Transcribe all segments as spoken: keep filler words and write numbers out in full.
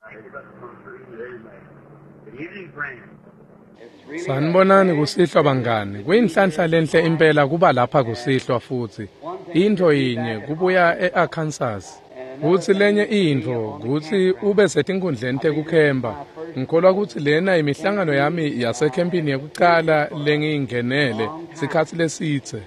Good evening, friends. Sanibonani kusihlwa bangani. Kuyinhlanhla lenhle impela kuba lapha kusihlwa futhi. Intfo yinye kubuya e-Arkansas. Kutsi lenye intfo kutsi ube setinkundleni tekukhempa. Ngikholwa kutsi lena imihlangano yami yasekhempini yekucala lengiyingenele sikhatsi lesidze.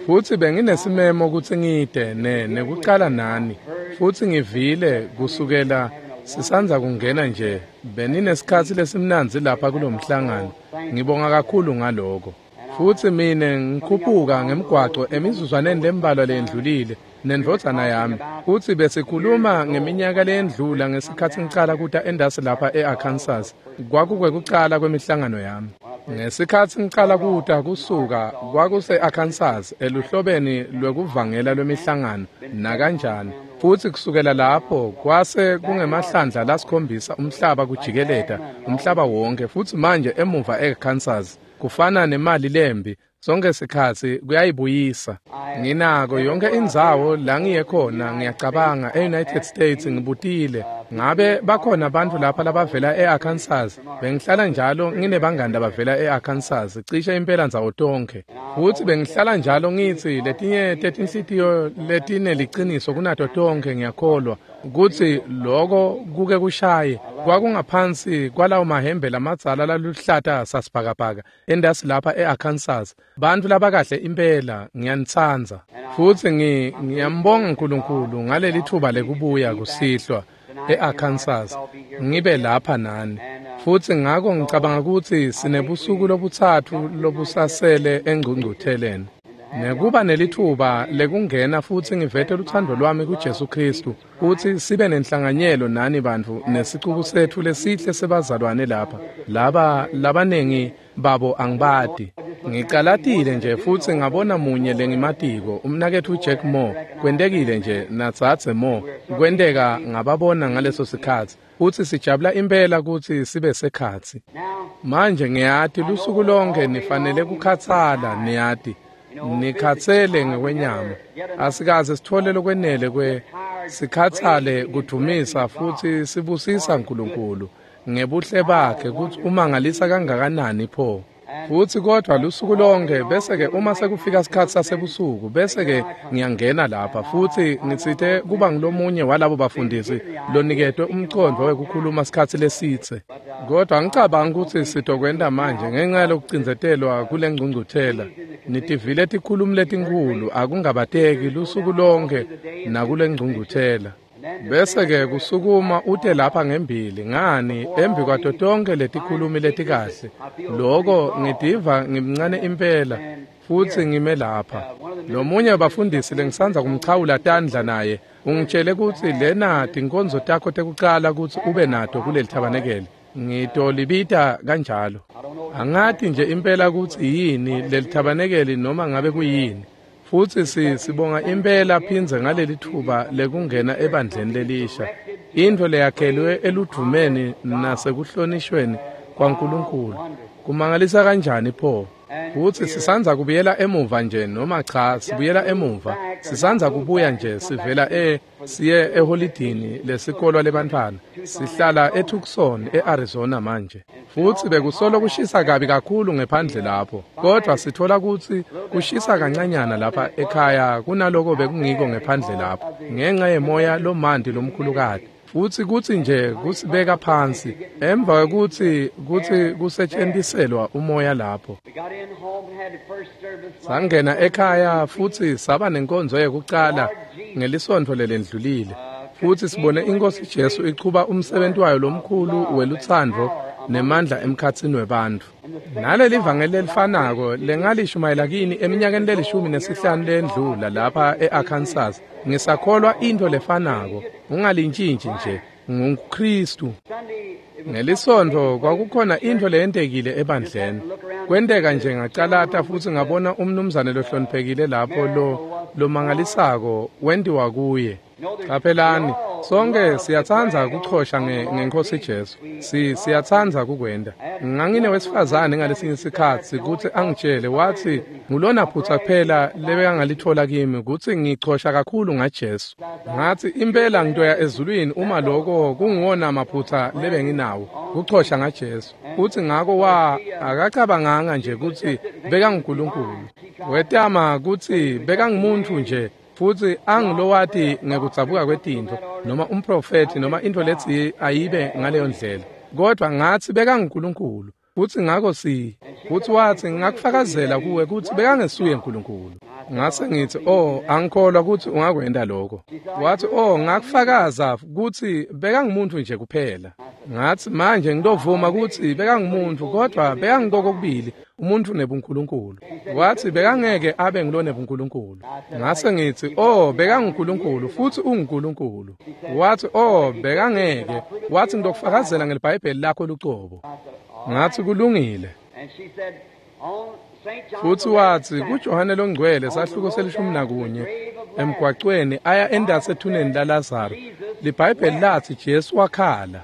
Futsi benginesimemo kutsi ngite ne nekucala nani. Futsi ngivile kusukela sisandza kungena nje beninesikhatsi lesimnandzi lapha kulomhlangano. Ngibonga kakhulu ngaloko. Futsi mine ngikhuphuka ngemgwaco emizuzwaneni lembalwa lendlulile nendvodzana yami. Futsi besikhuluma ngeminyaka leyendlula ngesikhatsi ngicala kuta endasi lapha e-Arkansas. Kwakukwekucala kwemihlangano yami. Ngesikhatsi ngicala kuta kusuka kwakuse-Arkansas eluhlobeni lwekuvangela lwemihlangano nakanjani. Futsi kusukela lapho kwase kungemahlandla lasikhombisa umhlaba kujikeleta umhlaba wonke futsi manje emuva e-Kansas kufana nemali lembi sonke sikhatsi kuyayibuyisa. Nginako yonke indzawo la ngiye khona ngiyacabanga e-United States ngibutile ngabe bakhona abantu lapha labavela e-Arkansas. Bengihlala njalo nginebangani labavela e-Arkansas cishe impela ndzawo tonkhe. Futsi bengihlala njalo ngitsi letinye tetinhlitiyo letineliciniso kunato tonkhe ngiyakholwa kutsi loko kuke kushaye kwakungaphansi kwalawo mahembe lamadzala laluhlata sasibhakabhaka endasi lapha e-Arkansas. Bantfu labakahle impela ngiyanitsandza. Futsi ngi ngiyambonga uNkulunkulu ngaleli thuba lekubuya kusihlwa e-Arkansas ngibe lapha nani. Futsi ngako ngicabanga kutsi sinebusuku lobutsatfu lobusasele engcungcutheleni. Nekuba nelithuba lekungena futsi ngivete luthando lwami kuJesu Kristu kutsi sibe nenhlanganyelo nani bantfu nesicuku setfu lesihle sebazalwane lapha. Laba labanengi babo angibati. Ngicalatile nje futsi ngabona munye lengimatiko umnaketfu Jack Moore. Kwentekile nje natsatse Moore. Kwenteka ngababona ngaleso sikhatsi. Futsi sijabula impela kutsi sibe sekhatsi. Manje ngiyati lusuku lonke nifanele kukhatsala niyati. Nikhatsele ngekwenyama. Asikaze sithole lokwenele kwe sikhatsale kudumisa futsi sibusisa uNkulunkulu ngebuhle bakhe kutsi umangalisa kangakanani pho. Futsi kodvwa lusuku lonke bese-ke uma sekufika sikhatsi sasebusuku bese-ke ngiyangena lapha futsi ngitsite kuba ngulomunye walabo bafundisi loniketwe umcondvo wekukhuluma sikhatsi lesidze. Kodvwa ngicabanga kutsi sitokwenta manje ngenxa yalokucindzetelwa kule ngcungcuthela. Nitivile tikhulumi letinkhulu akungabateki lusuku lonke nakule ngcungcuthela. Bese-ke kusukuma ute lapha ngembili ngani embi kwato tonkhe letikhulumi letikahle. Loko ngitiva ngimncane impela futsi ngime lapha. Lomunye wabafundisi lengisandza kumchawula tandla naye ungitshele kutsi lena tinkonzo takho tekucala kutsi ube nato kuleli thabanekele. Ngitolibita kanjalo. Angati nje impela kutsi yini leli thabanekeli noma ngabe kuyini. Futsi sibonga impela phindze ngaleli thuba lekungena ebandleni lelisha. Intfo leyakhelwe eludvumeni nasekuhlonishweni kwaNkulunkulu. Kumangalisa kanjani pho? Futsi sisandza kubuyela emuva nje noma cha sibuyela emuva. Sisandza kubuya nje sivela e siye eholidini lesikolwa lebantfwana. Sihlala eTucson eArizona manje. Futsi bekusolo kushisa kabi kakhulu ngephandle lapho. Kodwa sithola kutsi kushisa kancanyana lapha ekhaya kunaloko bekungiko ngephandle lapho ngenxa yemoya lomanti lomkhulukati. Futsi kutsi nje kusibeka phansi emva kwekutsi kutsi kusetshentiselwa umoya lapho. Sangena ekhaya futsi saba nenkonzo yekucala ngelisontfo lelendlulile. Futsi sibone iNkosi Jesu ichuba umsebenti wayo lomkhulu welutsandvo nemandla emkhatsini webantfu. Naleli vangeli lelifanako lengalishumayela kini eminyakeni lelishumi nesihlanu lendlula lapha e-Arkansas. Ngisakholwa intfo lefanako, ungalintshintshi nje, nguKristu. Ngelisontfo kwakukhona intfo leyentekile ebandleni. Kwenteka nje ngacalata futsi ngabona umnumzane lohloniphekile lapho lo lomangalisako wentiwa kuye. Qaphelani, Sonke siyatsandza kuchosha ngeNkhosi Jesu. Si siyatsandza kukwenta. Ngangine wesifazane ngalesinye isikhatsi kutsi angitshele wathi ngulona phutha kuphela lebekangalithola kimi kutsi ngichosha kakhulu ngaJesu. Ngathi impela ngitoya ezulwini uma lokho kunguwona maphutha lebenginawo kuchosha ngaJesu. Uthi ngako wa akacabanganga nje kutsi bekanguNkulunkulu. Wetama kutsi bekangumuntu nje futhi angilowati ngekudzabuka kwetintfo noma umprofeti noma into lethi ayibe ngaleyo ndlela. Kodwa ngathi bekanguNkulunkulu futhi ngako si futhi wathi ngakufakazela kuwe kutsi bekangesuye uNkulunkulu. Ngase ngithi oh angikholwa kutsi ungakwenda lokho. Wathi oh ngakufakaza kutsi bekangumuntu nje kuphela. Ngathi manje ngidovuma kutsi bekangumuntu kodwa bekangikokubili umuntu nebuNkulunkulu. Wathi bekangeke abe ngilone buNkulunkulu. Ngase ngithi oh bekanguNkulunkulu futhi unguNkulunkulu. Wathi oh bekangeke. Wathi ngidokufakazela ngelibhayibheli lakho lucobo. Ngathi kulungile. Futhi wathi kuJohane longcwele sahluko selishumi nakunye emgwacweni aya endase ethuneni laLazaro liBhayibheli lathi Jesu wakhala.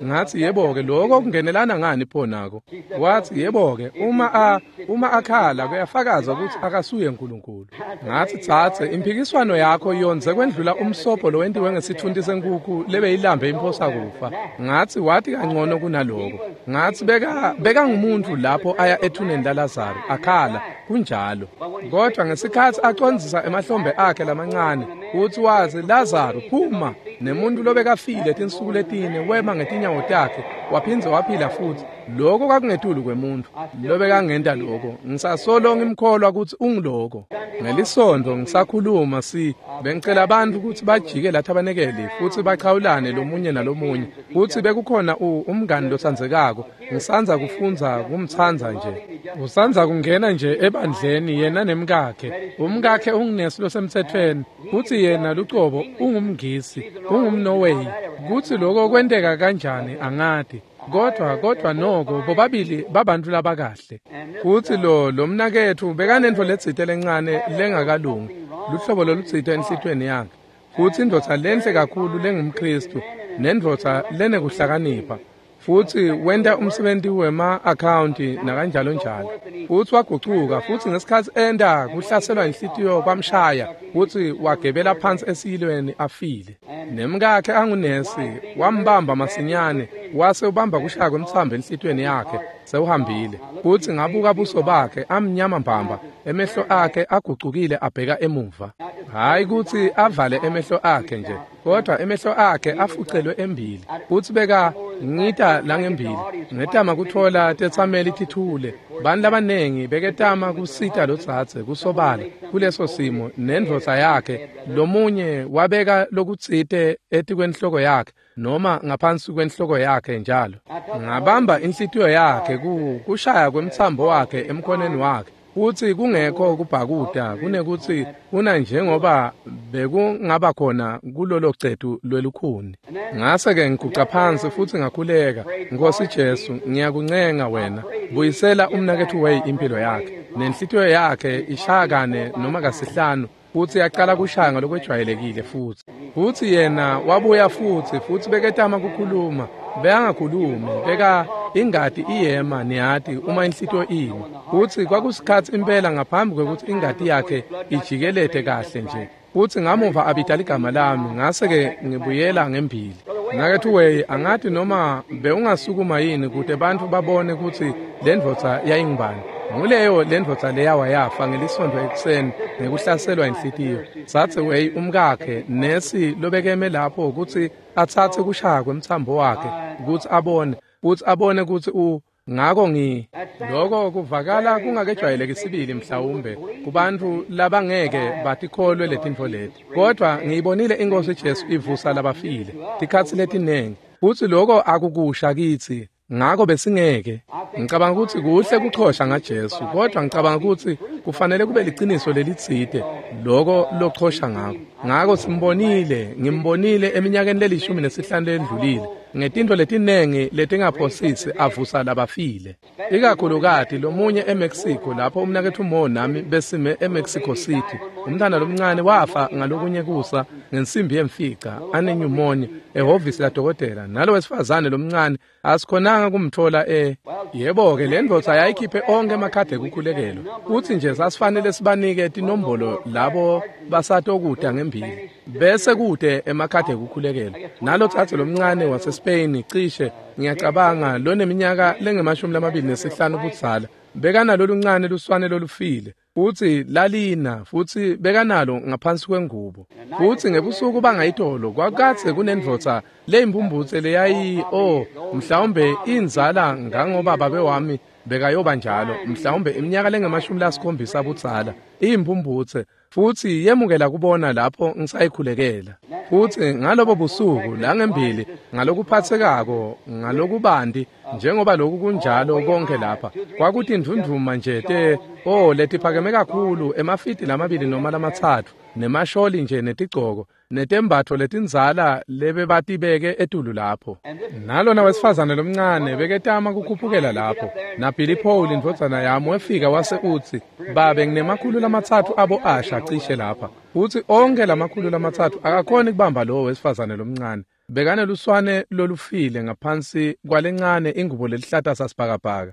Ngathi yebo-ke lokho kungenelana ngani pho nako? Wathi yebo-ke uma a uma akhala kuyafakaza ukuthi akasuye uNkulunkulu. Ngathi tsatse impikiswano yakho yonze kwendlula umsobho lowentiwe ngesithunti senkukhu lebeyilambe imphosa kufa. Ngathi wathi kangcono kunaloko. Ngathi beka bekangumuntu lapho aya ethuneni laLazaro akhala kunjalo. Kodwa ngesikhathi acondzisa emahlombe akhe lamancane uthi wathi Lazaro phuma nemuntu lobekafile tinsuku letine wema ngetinyawo takhe waphindze waphila futhi. Lokho kwakungetulu kwemuntu lobekangenta lokho. Ngisasolo ngimkholwa ukuthi ungiloko. Ngelisonto ngisakhuluma si bengicela abantu ukuthi bajike lapha abanekeli futhi bachawulane lomunye nalomunye futhi bekukhona umngani lotsandzekako ngisanza kufunza kumtsandza nje usanza kungena nje ebandleni yena nemkakhe. Umkakhe ungunesi losemthethweni futhi yena lucobo ungumngisi ungumNorway. Kuthi lokho kwenteka kanjani angadi. Kodwa kodwa noko bobabili babantu labakahle. Kuthi lo lomnakethu bekanentfo letsite lencane lengakalungi luhlobo lolutsite enhlitweni yakhe. Futhi indvodza lenhle kakhulu lengumKristu nendvodza lenekuhlakanipha futhi wenta umsebenzi wema-akhawunti nakanjalo njalo. Futhi wagucuka futhi ngesikhathi enda kuhlaselwa inhlitiyo kwamshaya futhi wagebela phansi esiyilweni afile. Nemkakhe angunesi wambamba masinyane wase ubamba kushaya kwemtsambo enhlitiyweni yakhe sewuhambile. Futhi ngabuka buso bakhe amnyama mbamba emehlo akhe agucukile abheka emuva. Hayi kutsi avale emehlo akhe nje kodwa emehlo akhe afucelwe embili. Futhi beka ngita langembili ngetama kuthola tetsameli tithule. Bantu labanengi beketama kusita lotsatse kusobala kuleso simo nendvodza yakhe. Lomunye wabeka lokutsite etikwenhloko yakhe noma ngaphansi kwenhloko yakhe njalo. Ngabamba inhlitiyo yakhe kushaya kwemtsambo wakhe emkhoneni wakhe. Futhi kungekho kubhakuda kunekuthi kuna njengoba bekungaba khona kulolo cetu lwelukhuni. Ngase ke ngiguqa phansi futhi ngakhuleka, Nkosi Jesu ngiyakuncenga wena buyisela umnakethu Way impilo yakhe nenhlitiyo yakhe ishakane noma kasihlanu. Futhi yaqala kushaya ngalokwejwayelekile futhi. Futhi yena wabuya futhi futhi beketama kukhuluma bekangakhulumi beka ingati iyema niyati uma inhlitiyo imi. Futhi kwakusikhathi impela ngaphambi kwekuthi ingati yakhe ijikelete kahle nje. Futhi ngamuva abita ligama lami ngase ke ngibuyela ngembili. Nakethu Way angathi noma bewungasukuma yini kude bantu babone ukuthi le ndvodza yayingubani. Nguleyo le ndvodza leyawa yafa ngelisonto ekuseni ngekuhlaselwa inhlitiyo. Sathe Way umkakhe nesi lobekeme lapho ukuthi atsatse kushaya kwemtsambo wakhe ukuthi abone ukuthi abone ukuthi u ngako ngi lokho kuvakala kungakejwayeleki sibili mhlawumbe kubantu labangeke batikholwe letintfo leti. Kodwa ngiyibonile iNkosi Jesu ivusa labafile tikhatsi letinengi futhi lokho akukusha kithi. Ngako besingeke. Ngicabanga ukuthi kuhle kuchosha ngaJesu kodwa ngicabanga ukuthi kufanele kube liciniso lelitsite lokho lochosha ngako. Ngako simbonile ngimbonile eminyakeni lelishumi nesihlanu lendlulile ngetintfo letinengi letingaphosisi avusa labafile. Ikakhulukati lomunye eMexico lapho umnakethu Mo nami besime eMexico City Umntwana lomncane wafa ngalokunye kusa ngensimbi yemfica anenyumonia ehhovisi ladokotela. Nalo wesifazane lomncane asikhonanga kumthola e yebo-ke le ndvodza yayikhiphe onke emakhadi ekukhulekelo. Uthi nje sasifanele sibanike tinombolo labo basatokuda ngembili bese kude emakhadi ekukhulekelo. Nalo tsatse lomncane waseSpain cishe ngiyacabanga loneminyaka lengemashumi lamabili nesihlanu budzala bekanalo luncane luswane lolufile futhi lalina futhi bekanalo ngaphansi kwengubo. Futhi ngebusuku bangayitolo kwakatse kunendvodza leyimpumbutse leyayi oh mhlawumbe inzala ngangoba babe wami bekayoba njalo mhlawumbe iminyaka lengemashumi lasikhombisa budzala iyimpumbutse futhi yemukela kubona lapho ngisayikhulekela. Futhi ngalobo busuku la ngembili ngalokuphathekako ngalokubanti njengoba lokhu kunjalo konke lapha kwakuthi indvundvuma nje te oh letiphakeme kakhulu emafiti lamabili noma lamatsatfu nemasholi nje netigcoko netembatfo letindzala lebebatibeke etulu lapho. Nalona wesifazane lomncane beketama kukhuphukela lapho naBilly Paul indvodzana yami wefika wase utsi babe nginemakhulu lamatsatfu abo asha cishe lapha futsi onke lamakhulu lamatsatfu akakhoni kubamba lowo wesifazane lomncane bekaneluswane lolufile ngaphansi kwalencane ingubo lelihlata sasibhakabhaka.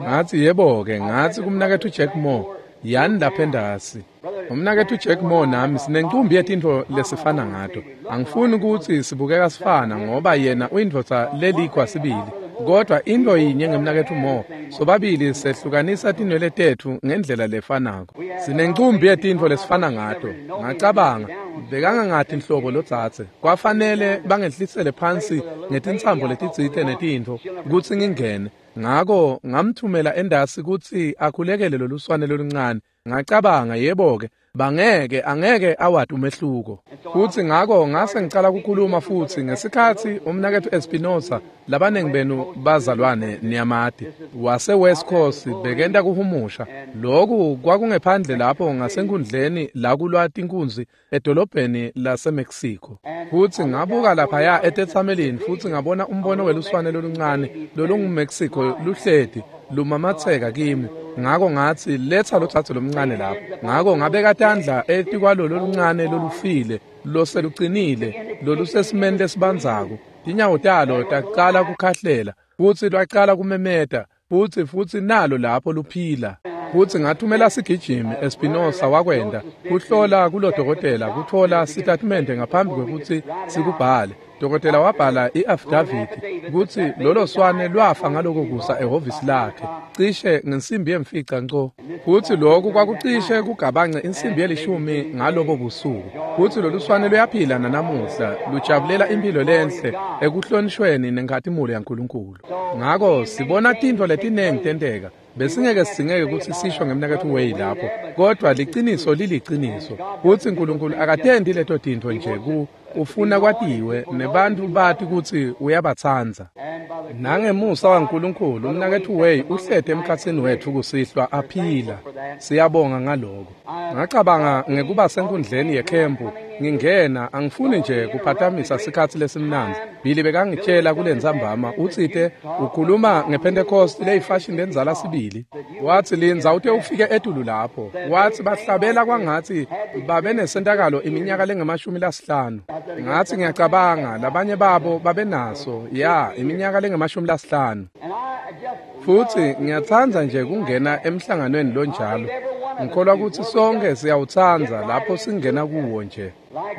Ngathi yebo-ke ngathi kumnaketfu Jack Moore yani lapha endasi. Umnaketfu Jack Moore nami sinencumbi yetintfo lesifana ngato. Angifuni ukuthi sibukeka sifana ngoba yena uyindvodza lelikhwa sibili. Kodwa into yinye ngemnaketfu Moore, sobabili sehlukanisa tinwele tetfu ngendlela lefanako. Sinencumbi yetintfo lesifana ngato. Ngacabanga bekangangathi inhlobo lotsatse. Kwafanele bangehlisele phansi ngetintsambo letitsite netintfo kutsi ngingene. Ngako ngamthumela endasi kutsi akhulekele loluswane loluncane. Ngacabanga yebo-ke bangeke angeke awati umehluko. Futhi ngako ngase ngicala ukukhuluma futhi ngesikhathi umnaketfu Espinosa labanengi benu bazalwane niyamati wase West Coast bekenta kuhumusha. Lokhu kwakungephandle lapho ngasenkundleni la kulwa tinkunzi edolobheni laseMexico. Futhi ngabuka laphaya etetsamelini futhi ngabona umbono weluswane loluncane lolunguMexico luhleti lumamatheka kimi. Ngako ngathi letha lo tsatse lomncane lapho. Ngako ngabeka tandla etikwalolo loluncane lolufile loselucinile lolusesimeni lesibandzako. Tinyawo talo taqala kukhahlela futhi lwaqala kumemeta futhi futhi nalo lapho luphila. Futhi ngathumela sigijimi Espinosa wakwenda kuhlola kulodokotela kuthola sitatimende ngaphambi kwekutsi sikubhale. Dokotela wabhala i-affidavit kutsi lolo swane lwafa ngaloko kusa ehhovisi lakhe cishe ngensimbi yemfica nco. Futhi lokhu kwakucishe kugabance insimbi yelishumi ngalobo busuku. Futhi lolu swane luyaphila nanamuhla lujabulela impilo lenhle ekuhlonishweni nenkhatimulo yaNkulunkulu. Ngako sibona tintfo letinengi tenteka. Besingeke singeke ukuthi sisho ngemnaketfu Way lapho kodwa liciniso liliciniso kutsi uNkulunkulu akatendi leto tintfo nje ku ufuna kwatiwe nebantu bati kutsi uyabatsandza. Nangemusa waNkulunkulu umnaketfu Way uhlete emkhatsini wetfu kusihlwa aphila. Siyabonga ngaloko. Ngacabanga ngekuba senkundleni yekhempu ngingena angifuni nje kuphatamisa sikhatsi lesimnandzi. Billy bekangitshela kulentsambama utsite ukhuluma ngePentecost leyifashion lenzala sibili. Wathi lindza ute ufike etulu lapho. Wathi bahlabela kwangathi babe nesentakalo iminyaka lengemashumi lasihlanu. Ngathi ngiyacabanga labanye babo babenaso ya iminyaka lengemashumi lasihlanu. Futhi ngiyatsandza nje kungena emhlanganweni lonjalo. Ngikholwa ukuthi sonke siyawutsandza lapho singena kuwo nje.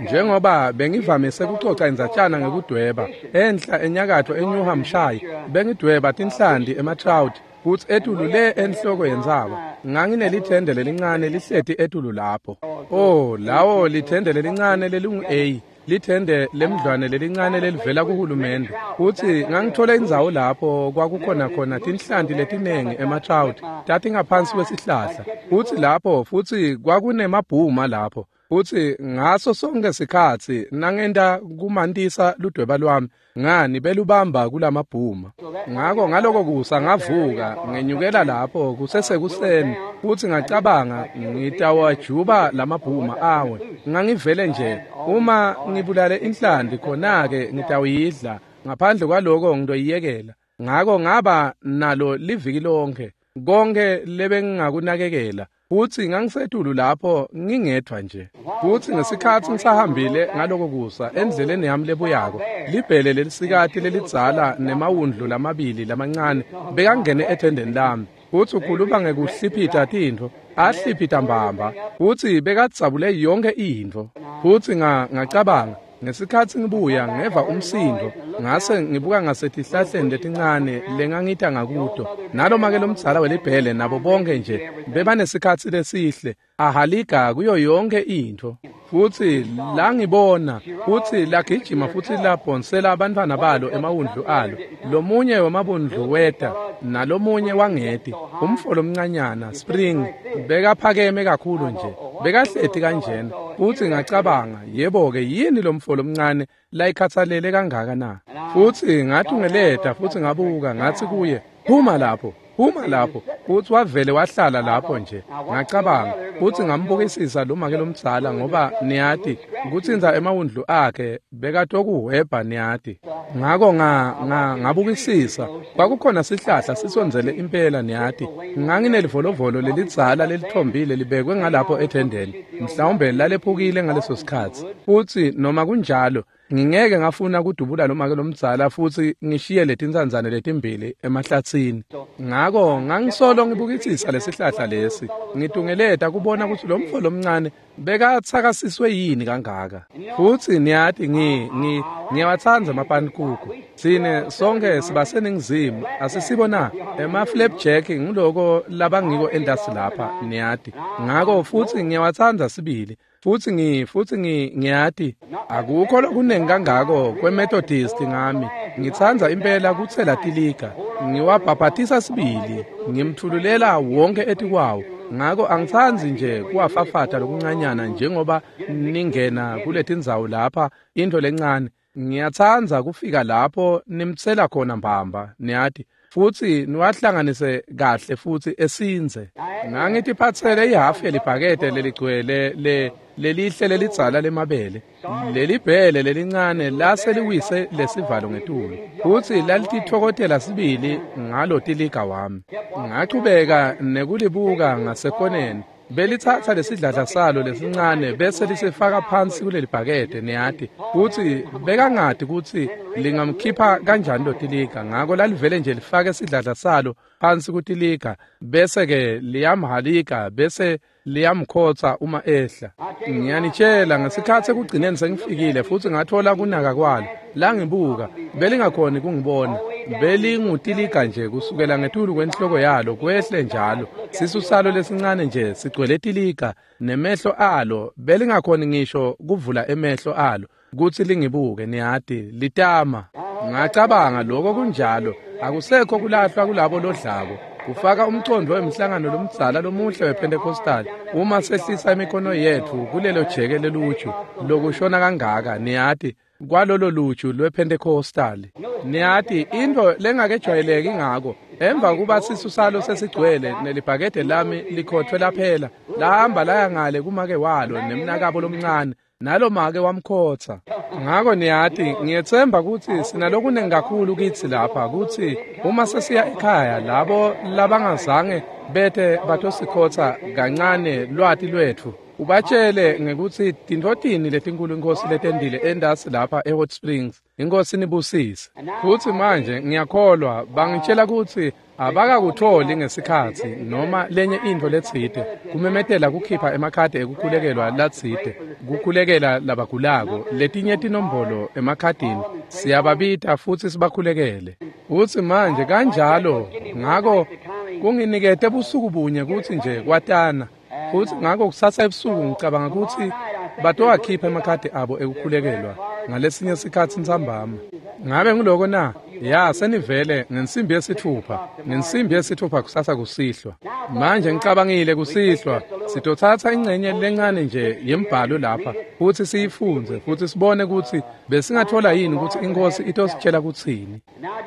Njengoba bengivamise kucoca indzatshana ngekudweba enhla enyakatfo eNew Hampshire bengidweba tinhlanti ema-trout futsi etulu le enhloko yentsaba nganginelithende lelincane lihleti etulu lapho. Oh lawo lithende lelincane lelingu-A lithende lemdlwane lelincane lelivela kuhulumende. Futhi ngangithola indzawo lapho kwakukhona khona tinhlanti letinengi ema-trout tatingaphansi kwesihlahla. Futhi lapho futhi kwakunemabhuma lapho. Futhi ngaso sonke sikhatsi nangenta kumantisa ludweba lwami ngani belubamba kulamabhuma. Ngako ngaloko kusa ngavuka ngenyukela lapho kusesekuseni futhi ngacabanga ngitawajuba lamabhuma awe. Ngangivele nje uma ngibulale inhlanti khona-ke ngitawuyidla ngaphandle kwaloko ngitoyiyekela. Ngako ngaba nalo liviki lonke konke lebengingakunakekela. Futsi ngangisetulu lapho ngingedvwa nje. Futsi ngesikhatsi ngisahambile ngaloko kusa endleleni yami lebuyako, libhele lelisikati lelidzala nemawundlu lamabili lamancane bekangene ethendeni lami. Futsi ukhuluma ngekuhliphita tintfo, ahliphita mbamba, futsi bekadzabule yonkhe intfo. Futsi ngacabanga, ngesikhatsi ngibuya ngeva umsindo, ngase ngibuka ngasetihlahleni letincane lengangita ngakuto. Nalomake lomdzala welibhele nabo bonke nje bebanesikhatsi lesihle, ahaliga kuyo yonke intfo. Futsi langibona, futsi lagijima futsi labhonsela abantwana balo emawundlu alo. Lomunye wemabundlu weta, nalomunye wangeti. Umfo lomncanyana, Spring, bekaphakeme kakhulu nje, bekahleti kanjena. Futsi ngacabanga, yebo-ke, yini lomfo lomncane layikhatsalele kangaka na? Futsi ngatungeleta futsi ngabuka, ngathi kuye, phuma lapho, phuma lapho. Futsi wavele wahlala lapho nje. Ngacabanga, futsi ngambukisisa lo make lomdzala, ngoba niyati kutsintsa emawundlu akhe bekatokuhwebha niyati. Ngako nga ngabukisisa, kwakukhona sihlahla sisondzele impela niyati. Nganginelivolovolo lelidzala lelithombile libekwe ngalapho ethendeni, mhlawumbe lalephukile ngaleso sikhatsi. Futsi noma kunjalo, ngingeke ngafuna kudubula lo make lomdzala futsi ngishiye letintsandzane letimbili emahlatsini. Ngako ngangisolo ngibukisisa lesihlahla lesi, ngitungeleta kubona kutsi lo mfo lomncane bekatsakasiswe yini kangaka. Futsi niyati ngi ngi ngiyawatsandza amapanikuku. Tsine sonke sibaseningizimu, asisibo na? Ema-flapjack ngiloko labangiko entasi lapha niyati. Ngako futsi ngiyawatsandza sibili. Futsi ngi futsi ngi ngiyati akukho lokunengi kangako kweMethodist ngami. Ngitsandza impela kutsela tiliga, ngiwabhabhatisa sibili, ngimthululela wonke etikwawo. Ngako angitsandzi nje kuwafafata lokuncanyana njengoba ningena kuletindzawo lapha intfo lencane. Ngiyatsandza kufika lapho nimtsela khona mbamba niyati, futsi niwahlanganise kahle futsi esindze. Ngangitiphatsele ihhafu yelibhakede leligcwele le lelihle lelidzala lemabele. Lelibhele lelincane lase liwise lesivalo ngetulu, futsi lalititfokotela sibili ngalo tiliga wami. Ngachubeka nekulibuka ngasekoneni. Belitsatsa lesidladla salo lesincane bese lisifaka phansi kulelibhakede niyati, futsi bekangati kutsi lingamkhipha kanjani lo tiliga. Ngako lalivele nje lifake sidladla salo phansi kutiliga, bese-ke liyamhalika bese liyamkhotsa uma ehla. Ngiyanitshela, ngesikhatsi ekugcineni sengifikile futsi ngatfola kunaka kwalo, langibuka, belingakhoni kungibona. Belingutiliga nje kusukela ngetulu kwenhloko yalo kwehle njalo. Sisu salo lesincane nje sigcwele tiliga, nemehlo alo belingakhoni ngisho kuvula emehlo alo kutsi lingibuke niyati, litama. Ngacabanga, lokho kunjalo, akusekho kulahlwa kulabo lodlako. Kufaka umcondvo wemhlangano lomdzala lomuhle wePentecostal uma sehlisa imikhono yetfu kulelo jeke leluju lokushona kangaka niyati, kwalolo luju lwePentecostal. Niyati intfo lengakejwayeleki ngako, emva kuba sisu salo sesigcwele nelibhakede lami likhothwe laphela, lahamba laya ngale kumake walo nemnakabo lomncane, nalo make wamkhotsa. Ngako niyati, ngiyetsemba kutsi sinalokunengi kakhulu kitsi lapha kutsi uma sesiya ekhaya labo labangazange bete batosikhotsa kancane lwati lwetfu, ubatshele ngekutsi tintfo tini letinkulu iNkhosi letendile entasi lapha eHot Springs. Inkosi nibusise. Futsi manje ngiyakholwa bangitshela kutsi abakakutholi ngesikhatsi noma lenye intfo letsite kumemetela kukhipha emakhadi ekukhulekelwa latsite, kukhulekela labagulako, letinye tinombolo emakhadini, siyababita futsi sibakhulekele. Futsi manje kanjalo, ngako kunginikete busuku bunye kutsi nje kwatana. Futsi ngako kusasa ebusuku ngicabanga kutsi batowakhipha emakhadi abo ekukhulekelwa ngalesinye sikhatsi ntsambama. Ngabe nguloko na? Ya, senivele ngensimbi yesithupha, ngensimbi yesithupha kusasa kusihlwa. Manje ngicabangile kusihlwa sitotsatsa ingcenye lencane nje yembhalo lapha futsi siyifundze futsi sibone kutsi besingathola yini kutsi iNkhosi itositshela kutsini.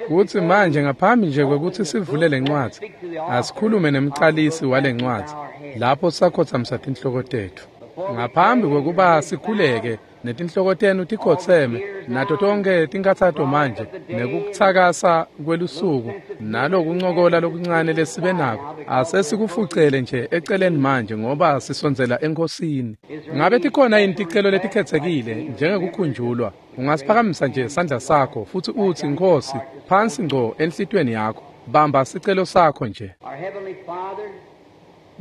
Kutsi manje ngaphambi nje kwekutsi sivule lencwadzi, asikhulume nemcalisi walencwadzi lapho sakhotsamisa tinhloko tetfu. Ngaphambi kwekuba sikhuleke, Netinhloko tenu tikhotseme, nato tonkhe tinkhatsato manje, nekutsakasa kwelusuku, nalokuncokola lokuncane lesibe nako, asesikufucele nje eceleni manje ngoba sisondzela eNkhosini. Ngabe tikhona yini ticelo letikhetsekile njengekukhunjulwa? Ungasiphakamisa nje sandla sakho futsi utsi, Nkhosi, phansi ngco enhlitiyweni yakho, bamba sicelo sakho nje.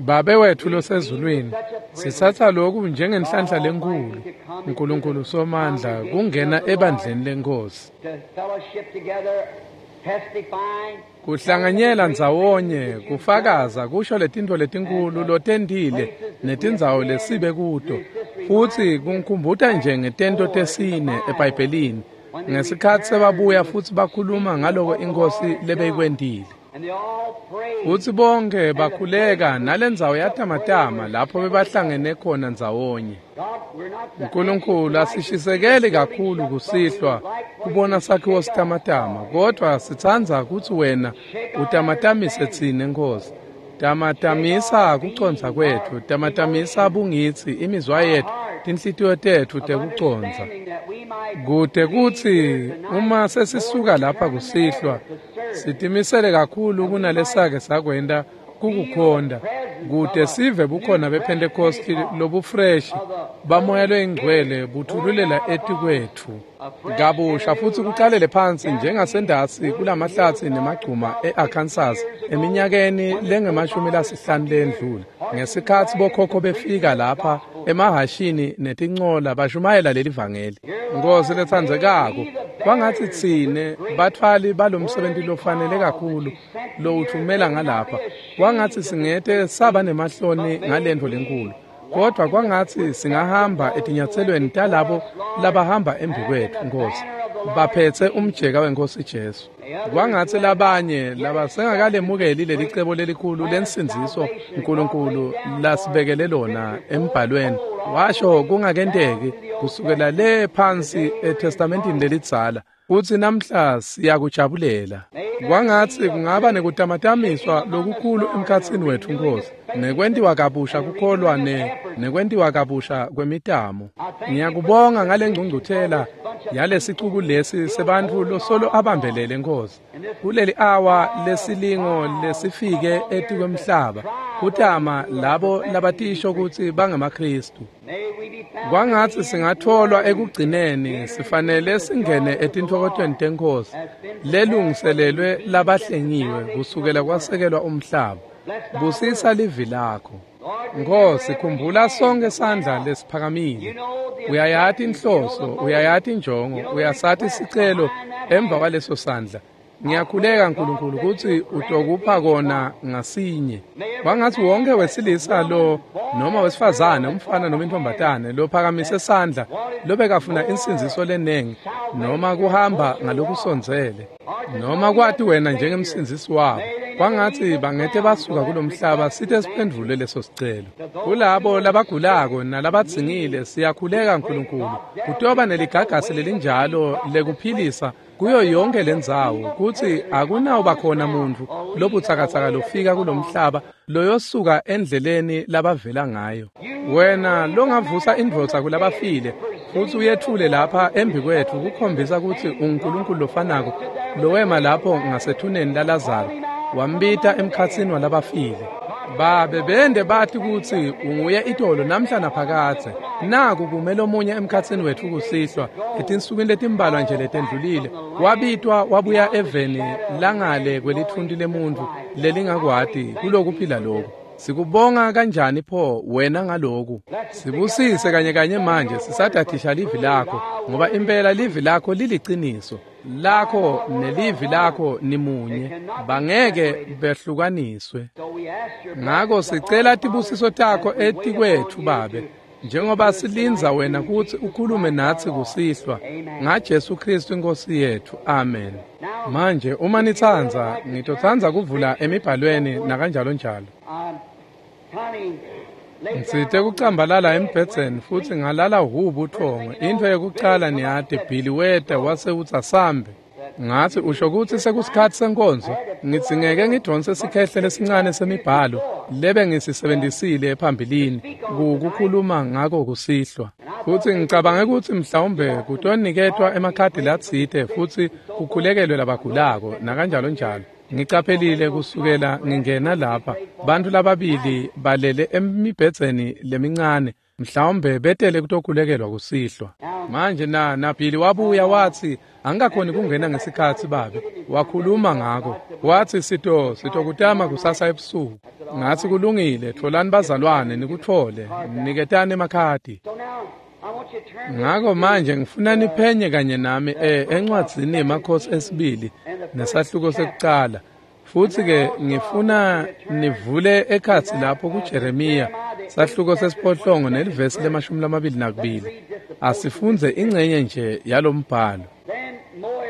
Babe wethu losezulwini, sitsatsa loku njengenhlanhla lenkulu, Nkulunkulu Somandla, kungena ebandleni leNkhosi, kuhlanganyela ndzawonye, kufakaza kusho letintfo letinkulu lotentile netindzawo lesibe kuto, futsi kungikhumbuta nje ngetento tesine eBhayibhelini ngesikhatsi sebabuya futsi bakhuluma ngaloko iNkhosi lebeyikwentile. Futsi bonke bakhuleka nalendzawo yatamatama lapho bebahlangene khona ndzawonye. Nkulunkulu, asishisekeli kakhulu kusihlwa kubona sakhiwo sitamatama, kodvwa sitsandza kutsi wena utamatamise tsine, Nkhosi. Tamatamisa kucondza kwetfu, tamatamisa bungitsi, imizwa yetfu, tinhlitiyo tetfu tekucondza, kute kutsi uma sesisuka lapha kusihlwa sitimisele kakhulu kunalesake sakwenta kukukhonda, kute sive bukhona bePhentekosti lobufreshi bamoya loyingcwele buthululela etikwetfu kabusha futsi kucalele phansi njengasendasi kulamahlatsi nemagcuma e-Arkansas eminyakeni lengemashumi lasihlanu lendlula, ngesikhatsi bokhokho befika lapha emahashini netincola bashumayela leli vangeli. Nkhosi letsandzekako, kwangatsi tsine batfwali balomsebenti lofanele kakhulu lowutfumela ngalapha, kwangatsi singete saba nemahloni ngalentfo lenkulu, kodvwa kwangatsi singahamba etinyatselweni talabo labahamba embi kwetfu, Nkhosi, baphetse umjeka weNkhosi Jesu. Kwangatsi labanye labasengakalemukeli lelicebo lelikhulu lensindziso Nkulunkulu lasibekele lona embhalweni, washo kungakenteki kusukela le phansi eTestamentini lelidzala, kutsi namhla siyakujabulela. Kwangatsi kungaba nekutamatamiswa lokukhulu emkhatsini wetfu, Nkhosi, nekwentiwa kabusha kukholwa ne nekwentiwa kabusha kwemitamo. Ngiyakubonga ngale ngcungcuthela yalesicuku lesi sebantfu losolo abambelele, Nkhosi, kuleli awa lesilingo lesifike etikwemhlaba, kutama labo labatisho kutsi bangemaKhristu. Kwangatsi singatholwa ekugcineni sifanele singene etintfokotweni teNkhosi lelungiselelwe labahlengiwe kusukela kwasekelwa umhlaba. Busisa livi lakho, Nkhosi. Khumbula sonke sandla lesiphakamile. Uyayati inhloso, uyayati injongo, uyasati sicelo emva kwaleso sandla. Ngiyakhuleka, Nkulunkulu, kutsi utokupha kona ngasinye. Kwangatsi wonke wesilisa lo noma wesifazane, umfana noma intombatane lophakamise sandla, lobekafuna insindziso lenengi noma kuhamba ngalokusondzele noma kwati wena njengemsindzisi wabo, kwangatsi bangete basuka kulomhlaba site siphendvule leso sicelo. Kulabo labagulako nalabadzingile siyakhuleka, Nkulunkulu, kutoba neligagasi lelinjalo lekuphilisa kuyo yonke lendzawo, kutsi akunawuba khona muntfu lobutsakatsaka lofika kulomhlaba loyosuka endleleni labavela ngayo. Wena longavusa indvodza kulabafile futsi uyetfule lapha embi kwetfu kukhombisa kutsi unguNkulunkulu lofanako lowema lapho ngasethuneni laLazaro wambita emkhatsini walabafile. Babe bende bati kutsi unguye itolo namhla naphakadze. Naku kume lomunye emkhatsini wetfu kusihlwa etinsukwini letimbalwa nje letendlulile, wabitwa wabuya eveni langale kwelitfunti lemuntfu lelingakwati kulokuphila loku. Sikubonga kanjani pho wena ngaloku. Sibusise kanye kanye manje sisadadisha livi lakho, ngoba impela livi lakho liliciniso lakho nelivi lakho nimunye, bangeke behlukaniswe. Ngako sicela tibusiso takho etikwetfu, Babe, njengoba silindza wena kutsi ukhulume natsi kusihlwa, ngaJesu Kristu iNkhosi yetfu. Amen. Manje uma nitsandza, ngitotsandza kuvula emibhalweni nakanjalo njalo. Ngitsite kucambalala embhedzeni futsi ngalala hu buthongo. Intfo yekucala niyati, Billy weta wase utsi asambe. Ngatsi usho kutsi sekusikhatsi senkonzo, ngidzingeke ngidonse sikhehle lesincane semibhalo lebe ngisisebenzisile phambilini kukukhuluma ngako kusihlwa. Futsi ngicabange kutsi mhlawumbe kutoniketwa emakhadi latsite futsi kukhulekelwe labagulako nakanjalo njalo. Ngicaphelile kusukela ngingena lapha bantfu lababili balele emibhedzeni lemincane mhlawumbe betele kutokhulekelwa kusihlwa. Manje na naBhili wabuya watsi angikakhoni kungena ngesikhatsi babe wakhuluma ngako watsi sito sitokutama kusasa ebusuku. Ngatsi kulungile, tfolani bazalwane nikutfole niketani emakhadi. Ngako manje ngifuna niphenye kanye nami eh encwadzini yeMakhosi esibili nesahluko sekucala. Futsi ke ngifuna nivule ekhatsi lapho kuJeremiya sahluko sesiphohlongo nelivesi lemashumi lamabili nakubili. Asifundze ingcenye nje yalombhalo.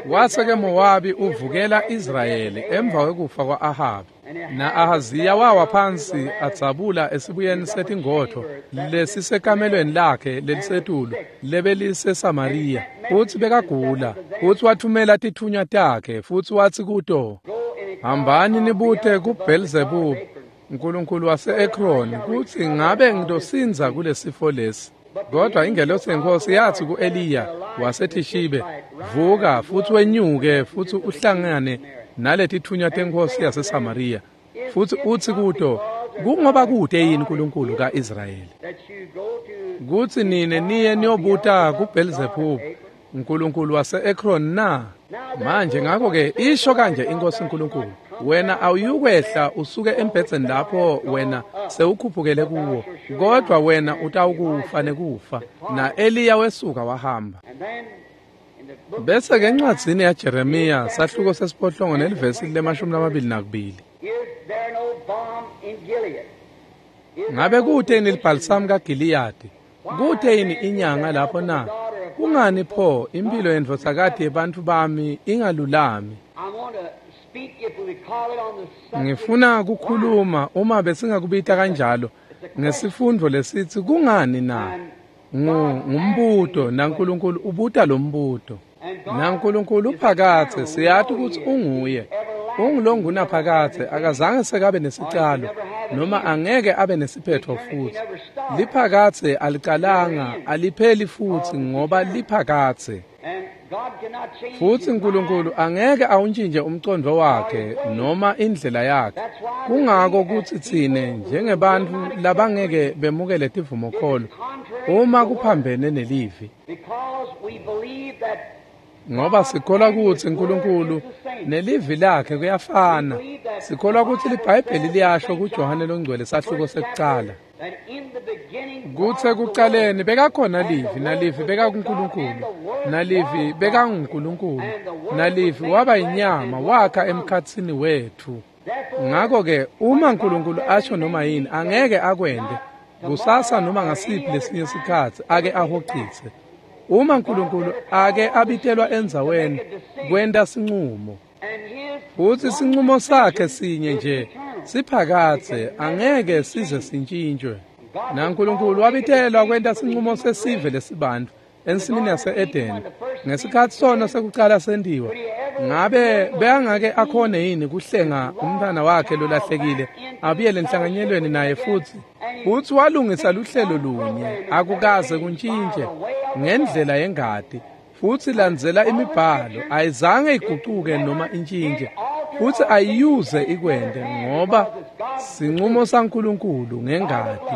Wase ke Mowabi uvukela Israyeli emva kwekufa kwa-Ahabi. Na Ahaziya wawa phansi adzabula esibuyeni setingotho lesisekamelweni lakhe lelisetulu lebeliseSamariya. Futsi bekagula, futsi wathumela titfunywa takhe futsi watsi kuto, hambani nibute kuBhelzebub unkulunkulu wase-Ekroni kutsi ngabe ngitosindza kulesifo lesi. Kodwa ingelosi yenkosi yatsi ku-Eliya waseThishibe, vuka futsi wenyuke futsi uhlangane naletitfunywa tenkosi yaseSamariya futsi utsi kuto, kungoba kute yini uNkulunkulu ka-Israyeli kutsi nine niye niyobuta kuBhelzebub unkulunkulu wase-Ekron na? Manje ngakho-ke isho kanje inkosi uNkulunkulu, wena awuyukwehla usuke embhedzeni lapho wena sewukhuphukele kuwo, kodwa wena utawukufa nekufa. Na-Eliya wesuka wahamba. Bese ke encwadzini yaJeremiya sahluko sesiphohlongo nelivesi lemashumi lamabili nakubili. Ngabe kute yini libhalisamu kaGiliyadi? Kute yini inyanga lapho na? Kungani pho impilo yendvodzakati yebantfu bami ingalulami? Ngifuna kukhuluma uma besingakubita kanjalo ngesifundvo lesitsi kungani na? Ngumbuto naNkulunkulu ubuta lo mbuto. NaNkulunkulu uphakathe siyati kutsi unguye. Ungulongunaphakathe akazange sekabe nesicalo noma angeke abe nesiphetho futhi. Liphakathe alicalanga alipheli futhi ngoba liphakathe. Futsi uNkulunkulu angeke awuntjintje umcondvo wakhe noma indlela yakhe. Kungako kutsi tsine njengebantfu labangeke bemukele tivumokholo uma kuphambene nelivi. Ngoba sikholwa kutsi uNkulunkulu nelivi lakhe kuyafana. Sikholwa kutsi liBhayibheli liyasho kuJohane loNgcwele sahluko sekucala. Kutsi ekucaleni bekakhona livi, nalivi bekakuNkulunkulu, nalivi bekanguNkulunkulu, nalivi waba yinyama wakha emkhatsini wetfu. Ngako-ke uma uNkulunkulu asho noma yini angeke akwente kusasa noma ngasiphi lesinye sikhatsi ake ahocise. Uma uNkulunkulu ake abitelwa endzaweni kwenta sincumo, futsi sincumo sakhe sinye nje siphakathe angeke size sintshintshwe. NaNkulunkulu wabitelwa kwenta sincumo sesive lesibantfu ensimini yase-Edeni ngesikhatsi sono sekucala sentiwa. Ngabe bekangake akhone yini kuhlenga umntfwana wakhe lolahlekile abuyele enhlanganyelweni naye futsi? Futsi walungisa luhlelo lunye akukaze kuntshintje ngendlela yengati, futsi landzela imibhalo ayizange igucuke noma intshintje futsi ayiyuze ikwente ngoba sincumo saNkulunkulu ngengati.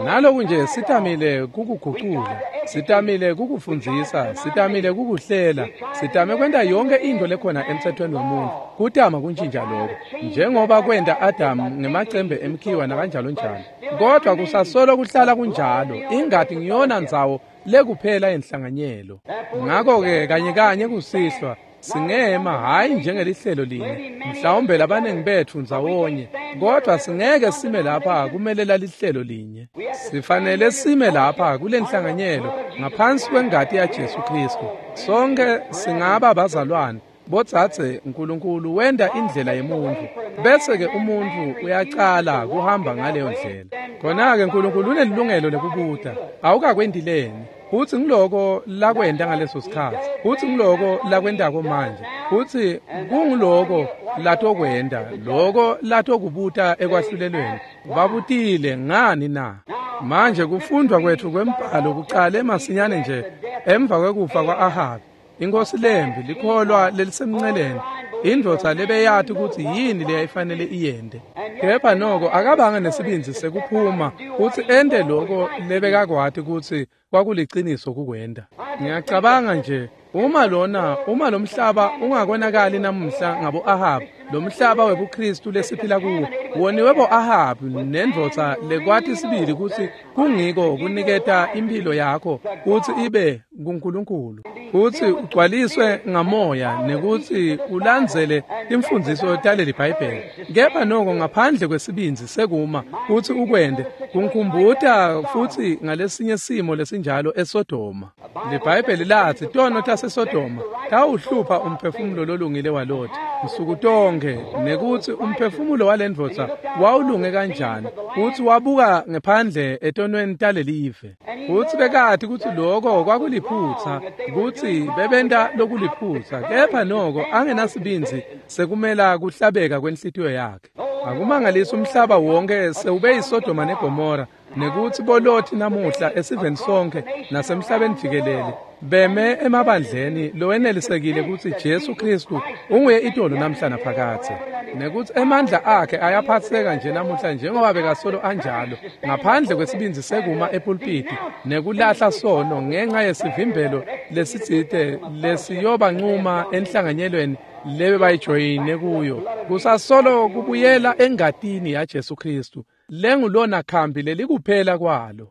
Naloku nje sitamile kukugucula, sitamile kukufundzisa, sitamile kukuhlela, sitame kwenta yonke into lekhona emthethweni wemuntfu kutama kuntjintja lokho njengoba kwenta Adamu ngemacembe emkhiwa nakanjalo njalo. Kodwa kusasolo kuhlala kunjalo, ingati ngiyona ndzawo lekuphela yenhlanganyelo. Ngako-ke kanye kanye kusihlwa singema hhayi njengelihlelo linye mhlawumbe labaningi betfu ndzawonye, kodwa singeke sime lapha kumelela lihlelo linye. Sifanele sime lapha kule nhlanganyelo ngaphansi kwengati yaJesu Kristu. Sonke singaba bazalwane bodzadze. uNkulunkulu wenta indlela yemuntfu bese-ke umuntfu uyacala kuhamba ngaleyo ndlela. Khona-ke uNkulunkulu unelilungelo lekubuta awukakwenti leni? Futsi ngiloko lakwenta ngaleso sikhatsi, futsi ngiloko lakwentako manje, futsi kunguloko latokwenta, loko latokubuta ekwahlulelweni. Babutile ngani na? Manje kufundwa kwethu kwembhalo kuqale masinyane nje emva kwekufa kwa-Ahabi, inkosi lembi, likholwa lelisemnceleni, indvodza lebeyati kutsi yini leyayifanele iyente. Kepha noko akabanga nesibindzi sekuphuma kutsi ente loko lebekakwati kutsi kwakuliciniso kukwenta. Ngiyacabanga nje uma lona uma lomhlaba ungakonakali namuhla ngabo Ahabi, lomhlaba webuKristu lesiphila kuwo woniwe bo Ahabi nendvodza lekwati sibili kutsi kungiko kuniketa impilo yakho kutsi ibe kuNkulunkulu, kutsi ugcwaliswe ngamoya nekutsi ulandzele imfundziso taleli Bhayibheli. Kepha noko ngaphandle kwesibindzi sekuma kutsi ukwente, kunkhumbuta futsi ngalesinye simo lesinjalo eSodoma. LiBhayibheli latsi tono taseSodoma tawuhlupha umphefumulo lolungile waLoti nsuku tonke, nekutsi umphefumulo walendvodza wawulunge kanjani, kutsi wabuka ngephandle etonweni talelive. Futsi bekati kutsi loko kwakuliphutsa, kutsi bebenta lokuliphutsa, kepha noko angenasibindzi sekumela kuhlabeka kwenhlitiyo yakhe. Akumangalisi umhlaba wonke sewube yiSodoma neGomora, nekutsi boLoti namuhla esiveni sonke nasemhlabeni jikelele beme emabandleni lowenelisekile kutsi Jesu Kristu unguye itolo namhla naphakadze, nekutsi emandla akhe ayaphatseka nje namuhla njengoba bekasolo anjalo, ngaphandle kwesibindzi sekuma epulpiti nekulahla sono ngenxa yesivimbelo lesitsite lesiyobancuma enhlanganyelweni lebe bayijoyine kuyo. Kusasolo kubuyela engatini yaJesu Kristu lengulona khambi lelikuphela kwalo.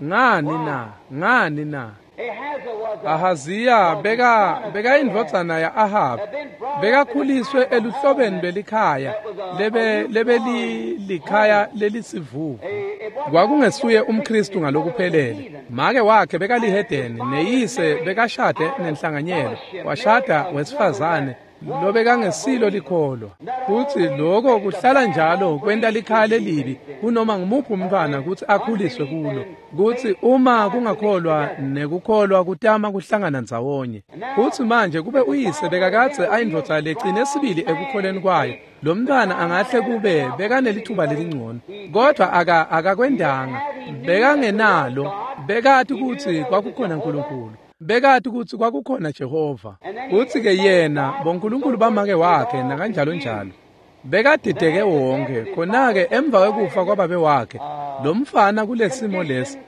Ngani na? Ngani na? Ahaziya beka beka indvodzana ya Ahab, bekakhuliswe eluhlobeni lwelikhaya lebe lebeli likhaya lelisivuvu. Kwakungesuye umKristu ngalokuphelele. Make wakhe bekalihedeni, neyise bekashade nenhlanganyelo, washada wesifazane lobekangesilo likholwa. Futsi loko kuhlala njalo kwenta likhaya lelibi kunoma ngumuphi umntfwana kutsi akhuliswe kulo, kutsi uma kungakholwa nekukholwa kutama kuhlangana ndzawonye. Futsi manje kube uyise bekakadze ayindvodza lecine sibili ekukholeni kwayo, lo mntfwana angahle kube bekanelithuba lelingcono, kodvwa aka akakwendanga, bekangenalo. Bekati kutsi kwakukhona Nkulunkulu, bekati kutsi kwakukhona Jehova, kutsi-ke yena bonkulunkulu bamake wakhe nakanjalo njalo. Bekadideke wonke. Khona-ke emva kwekufa kwababe wakhe, lo mfana kulesimo lesi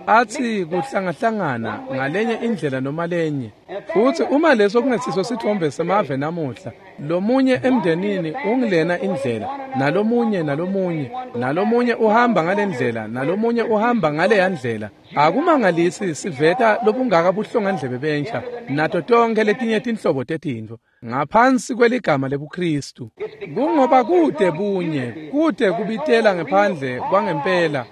athi kuhlangahlangana ngalenye indlela noma lenye. Futsi uma leso kungesiso sithombe semave namuhla, lomunye emndenini ungilena indlela, nalomunye nalomunye nalomunye uhamba ngalendlela, nalomunye uhamba ngaleya ndlela. Akumangalisi siveta lobungaka buhlongandlebe bentsha nato tonke letinye tinhlobo tetintfo ngaphansi kweligama lebuKristu. Kungoba kude bunye, kude kubitela ngephandle kwangempela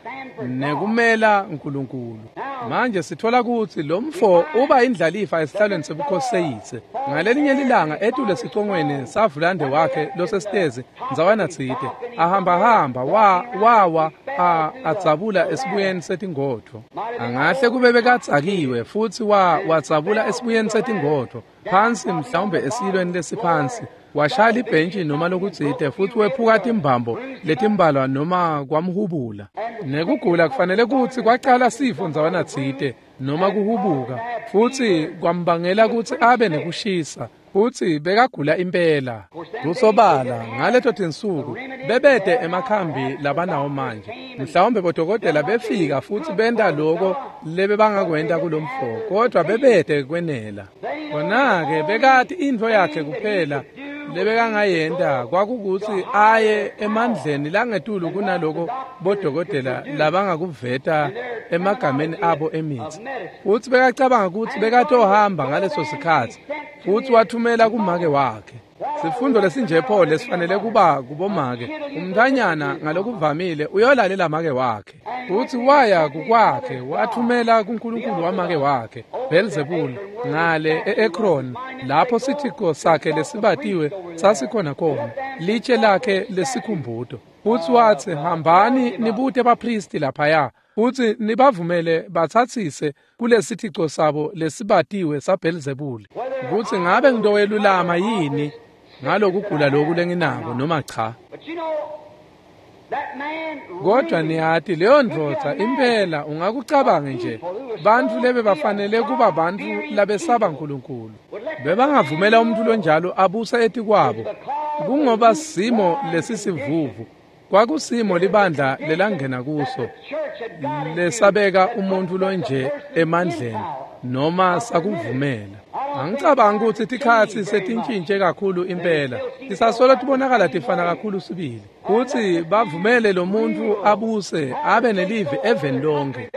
nekumela Nkulunkulu. Manje sithola kutsi lo mfo uba indlalifa esihlalweni sebukhosi seyise. Ngalelinye lilanga etule sicongweni savulande wakhe losesitezi ndzawana tsite, ahambahamba wa wawa adzabula esibuyeni setingodvo. Angahle kube bekadzakiwe futsi wa wadzabula esibuyeni setingodvo phansi, mhlawumbe esiyilweni lesiphansi, washaya libhentshi noma lokutsite, futsi wephuka timbambo letimbalwa noma kwamhubula. Nekugula kufanele kutsi kwacala sifo ndzawana tsite noma kuhubuka, futsi kwambangela kutsi abe nekushisa, futsi bekagula impela. Kusobala ngaleto tinsuku bebete emakhambi labanawo manje. Mhlawumbe bodokotela befika futsi benta loko lebebangakwenta kulomfo, kodwa bebete kwenela. Khona-ke bekati intfo yakhe kuphela lebekangayenta kwakukutsi aye emandleni langetulu kunaloko bodokotela labangakuveta emagameni abo emitsi. Futsi bekacabanga kutsi bekatohamba ngaleso sikhatsi, futsi wathumela kumake wakhe. Sifundo lesinje pho lesifanele kuba kubomake. Umntfwanyana ngalokuvamile uyolalela make wakhe. Futsi waya kukwakhe, wathumela kuNkulunkulu wamake wakhe, Beelzebul, ngale e-Ekron, lapho sithico sakhe lesibatiwe sasikhona khona, litshe lakhe lesikhumbuto. Futsi watsi, hambani nibute baphristi laphaya, futsi nibavumele batsatsise kulesithico sabo lesibatiwe saBelzebuli, kutsi ngabe ngitowelulama yini ngalokugula loku lenginako noma cha. But you know, Kodwa niyati leyo ndvodza impela ungakucabanga nje bantfu lebe bafanele kuba bantfu labesaba Nkulunkulu bebangavumela umuntu lonjalo abusa etikwabo kungoba simo lesisivuvu kwakusimo libandla lelangena kuso lesabeka umuntu lonje emandleni noma sakuvumela. Angicabanga ukuthi tikhatsi setintshintshe kakhulu impela tisasolo tibonakala tifana kakhulu sibili kutsi bavumele lo muntu abuse abe nelivi eveni lonke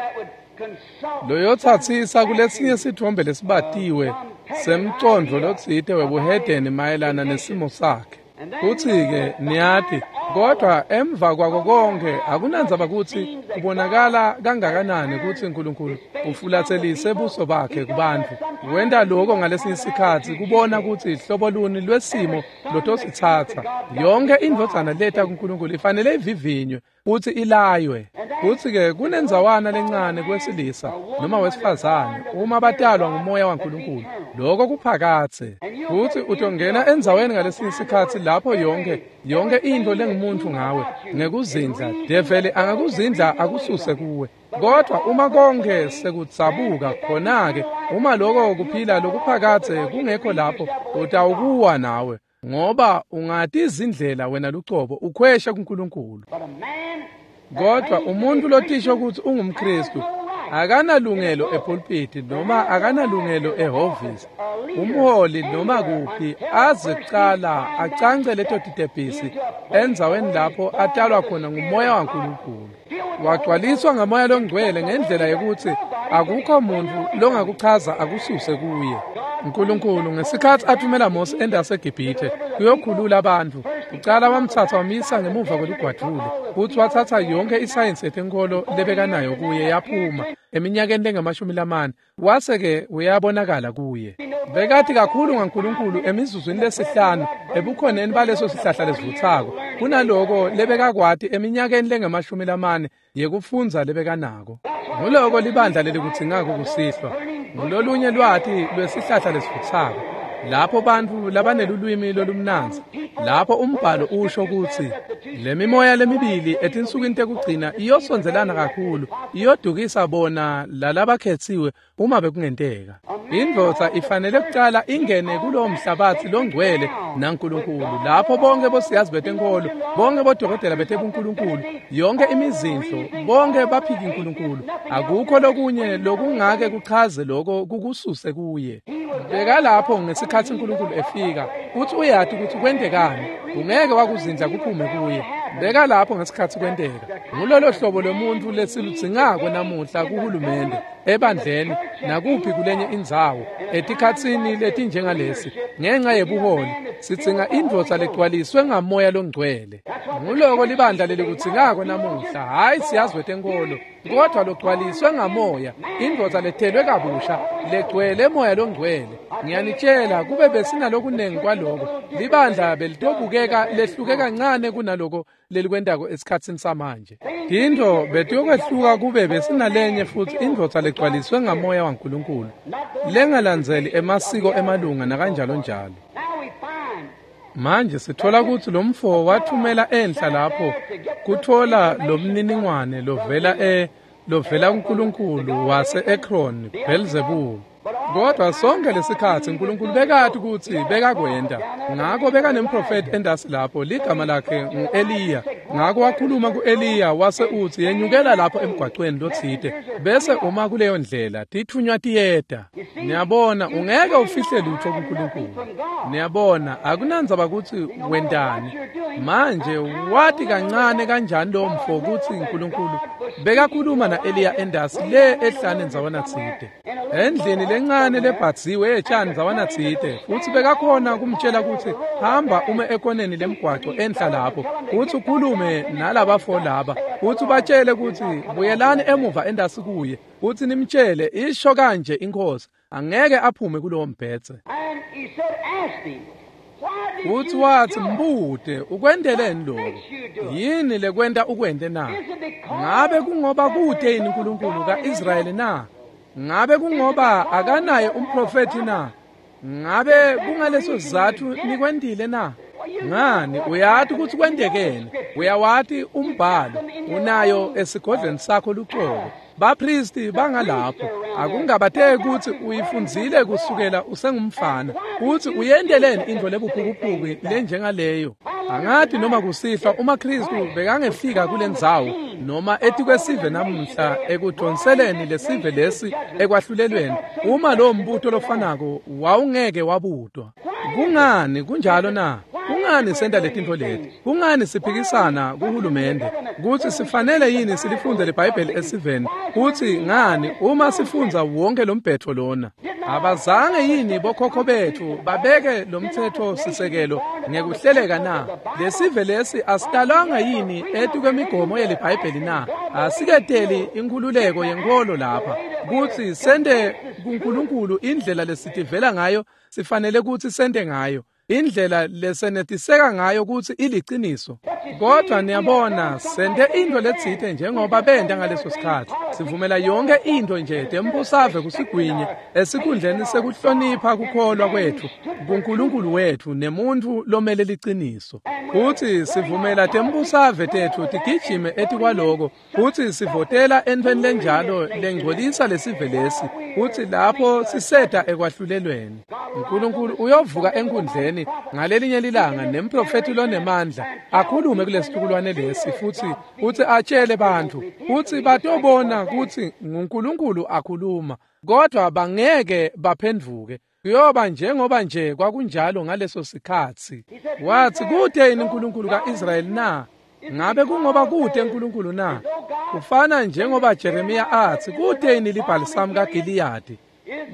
loyotsatsisa kulesinye sithombe lesibatiwe semcondvo lotsite webuhedeni mayelana nesimo sakhe. Kutsi-ke niyati kodwa emva kwako konke akunandzaba kutsi kubonakala kangakanani kutsi Nkulunkulu ufulatselise buso bakhe kubantfu wenta lokho ngalesinye isikhatsi kubona kutsi hlobo luni lwesimo lotositsatsa. Yonke indvodzana leta kuNkulunkulu ifanele ivivinywe futsi ilaywe. Kutsi-ke kunendzawana lencane kwesilisa noma wesifazane uma batalwa ngumoya waNkulunkulu lokho kuphakatse futsi utongena endzaweni ngalesinye isikhatsi lapho yonke yonke intfo lengumuntu ngawe ngekuzindla develi angakuzindla akususe kuwe. Kodwa uma konke sekudzabuka khona-ke uma lokho kuphila lokuphakatse kungekho lapho utawukuwa nawe ngoba ungatizindlela wena lucobo ukhwesha kuNkulunkulu. Kodwa umuntu lotisho kutsi ungumKristu akanalungelo epulpiti noma akanalungelo ehhovisi umholi noma kuphi aze kucala acance leto titebhisi endzaweni lapho atalwa khona ngumoya waNkulunkulu wagcwaliswa ngamoya longcwele ngendlela yokuthi akukho muntu longakuchaza akususe kuye. Nkulunkulu ngesikhatsi athumela Mose endase eGibhithe kuyokhulula abantu ucala wamthatha wamisa ngemuva kwelugwadvule futsi wathatha yonke isayensi yetenkolo lebekanayo kuye yaphuma eminyakeni lengamashumi lamane wase-ke uyabonakala kuye. Bekati kakhulu ngaNkulunkulu emizuzwini lesihlanu ebukhoneni baleso sihlahla lesivutsako kunaloko lebekakwati eminyakeni lengamashumi lamane yekufundza lebekanako. Nguloko libandla lelikudzingako kusihlwa ngulolunye lwati lwesihlahla lesivutsako lapho bantfu labanelulwimi lolumnandzi lapho umbhalo usho kutsi lemimoya lemibili etinsukwini tekugcina iyosondzelana kakhulu iyodukisa bona lalabakhetsiwe uma bekungenteka. Indvodza ifanele kucala ingene kulowo mhlabatsi longcwele naNkulunkulu lapho bonke bosiyazi betenkolo bonke bodokotela betebunkulunkulu yonke imizindlo bonke baphiki Nkulunkulu akukho lokunye lokungake kuchaze lokho kukususe kuye. Bekalapho ngesikhatsi uNkulunkulu efika uthi uyati ukuthi kwentekani ungeke wakuzindla kuphume kuye. Bekalapho ngesikhatsi kwenteka. Ngulolo hlobo lomuntu lesiludzingako namuhla kuhulumende ebandleni nakuphi kulenye indzawo etikhatsini letinjengalesi ngenxa yebuholi sidzinga indvodza legcwaliswe ngamoya longcwele. Nguloko libandla lelikudzingako namuhla hhayi siyazi wetenkolo kodwa logcwaliswe ngamoya indvodza lethelwe kabusha legcwele moya longcwele. Ngiyanitshela kube besinalokunengi kwaloko libandla belitobukeka lehluke kancane kunaloko lelikwentako esikhatsini samanje. Tintfo betiyokwehluka kube besinalenye futsi indvodza legcwaliswe ngamoya waNkulunkulu lengalandzeli emasiko emalunga nakanjalo njalo. Manje sithola kutsi lomfo wathumela enhla lapho kuthola lomniningwane lovela e lovela kuNkulunkulu wase Ekron Beelzebul. Kodwa sonke lesikhatsi uNkulunkulu bekati kutsi bekakwenta ngako bekanemprofeti endasi lapho ligama lakhe ngu-Eliya. Ngako wakhuluma ku-Eliya wase utsi yenyukela lapho emgwacweni lotsite bese uma kuleyo ndlela tithunywa tiyeta. Niyabona ungeke ufihle lutho kuNkulunkulu. Niyabona akunandzaba kutsi wentani. Manje wati kancane kanjani lo mfo kutsi uNkulunkulu bekakhuluma na-Eliya endasi le ehlane ndzawana tsite endlini lencane lebhadziwe etshani ndzawana tsite futsi bekakhona kumtshela kutsi hamba ume ekoneni lemgwaco enhla lapho futsi ukhulume nalabafo laba futsi ubatshele kutsi buyelani emuva endasi kuye futsi nimtshele isho kanje inkosi angeke aphume kulowo mbhedze. Futsi watsi mbute ukwenteleni lokho yini lekwenta ukwente na? Ngabe kungoba kute yini uNkulunkulu kaIsrayeli na? Ngabe kungoba akanaye umprofeti na? Ngabe kungaleso sizatfu nikwentile na? Ngani, uyati kutsi kwentekeni, uyawati umbhalo, unayo esigodlweni sakho lucobo. Bapristi bangalapho, akungabateki kutsi uyifundzile kusukela usengumfana, kutsi uyenteleni intfo lebuphukuphuku lenjengaleyo. Angati noma kusihlwa uma Kristu bekangefika kulendzawo noma etikwesive namuhla ekudonseleni lesive lesi ekwahlulelweni, uma lowo mbuto lofanako wawungeke wabutwa. Kungani kunjalo na? Kungani senta letintfo leti? Kungani siphikisana kuhulumende kutsi sifanele yini silifundze liBhayibheli esiveni? Kutsi ngani uma sifundza wonke lombhetho lona? Abazange yini bokhokho betfu babeke lomtsetfo sisekelo ngekuhleleka na? Lesive lesi asitalwanga yini etikwemigomo yeliBhayibheli na? Asiketeli inkhululeko yenkholo lapha kutsi sente kuNkulunkulu indlela lesitivela ngayo, sifanele kutsi sente ngayo indlela lesenetiseka ngayo kutsi iliciniso. Kodwa niyabona, sente intfo letsite njengoba benta ngaleso sikhatsi. Sivumela yonke intfo nje tembusave kusigwinye esikhundleni sekuhlonipha kukholwa kwetfu kuNkulunkulu wetfu nemuntfu lomele liciniso. Futsi sivumela tembusave tetfu tigijime etikwaloko, futsi sivotela entfweni lenjalo lengcolisa lesive lesi, futsi lapho siseta ekwahlulelweni. uNkulunkulu uyovuka enkundleni ngalelinye lilanga nemprofethi lonemandla akhulume kulesitukulwane lesi, futsi futsi atshele bantfu, futsi batobona kutsi nguNkulunkulu akhuluma, kodwa bangeke baphendvuke. Kuyoba njengoba nje kwakunjalo ngaleso sikhatsi. Watsi, kute yini uNkulunkulu kaIsrayeli na? Ngabe kungoba kute uNkulunkulu na? Kufana njengoba Jeremiya atsi, kute yini libhalisamu kaGiliyadi?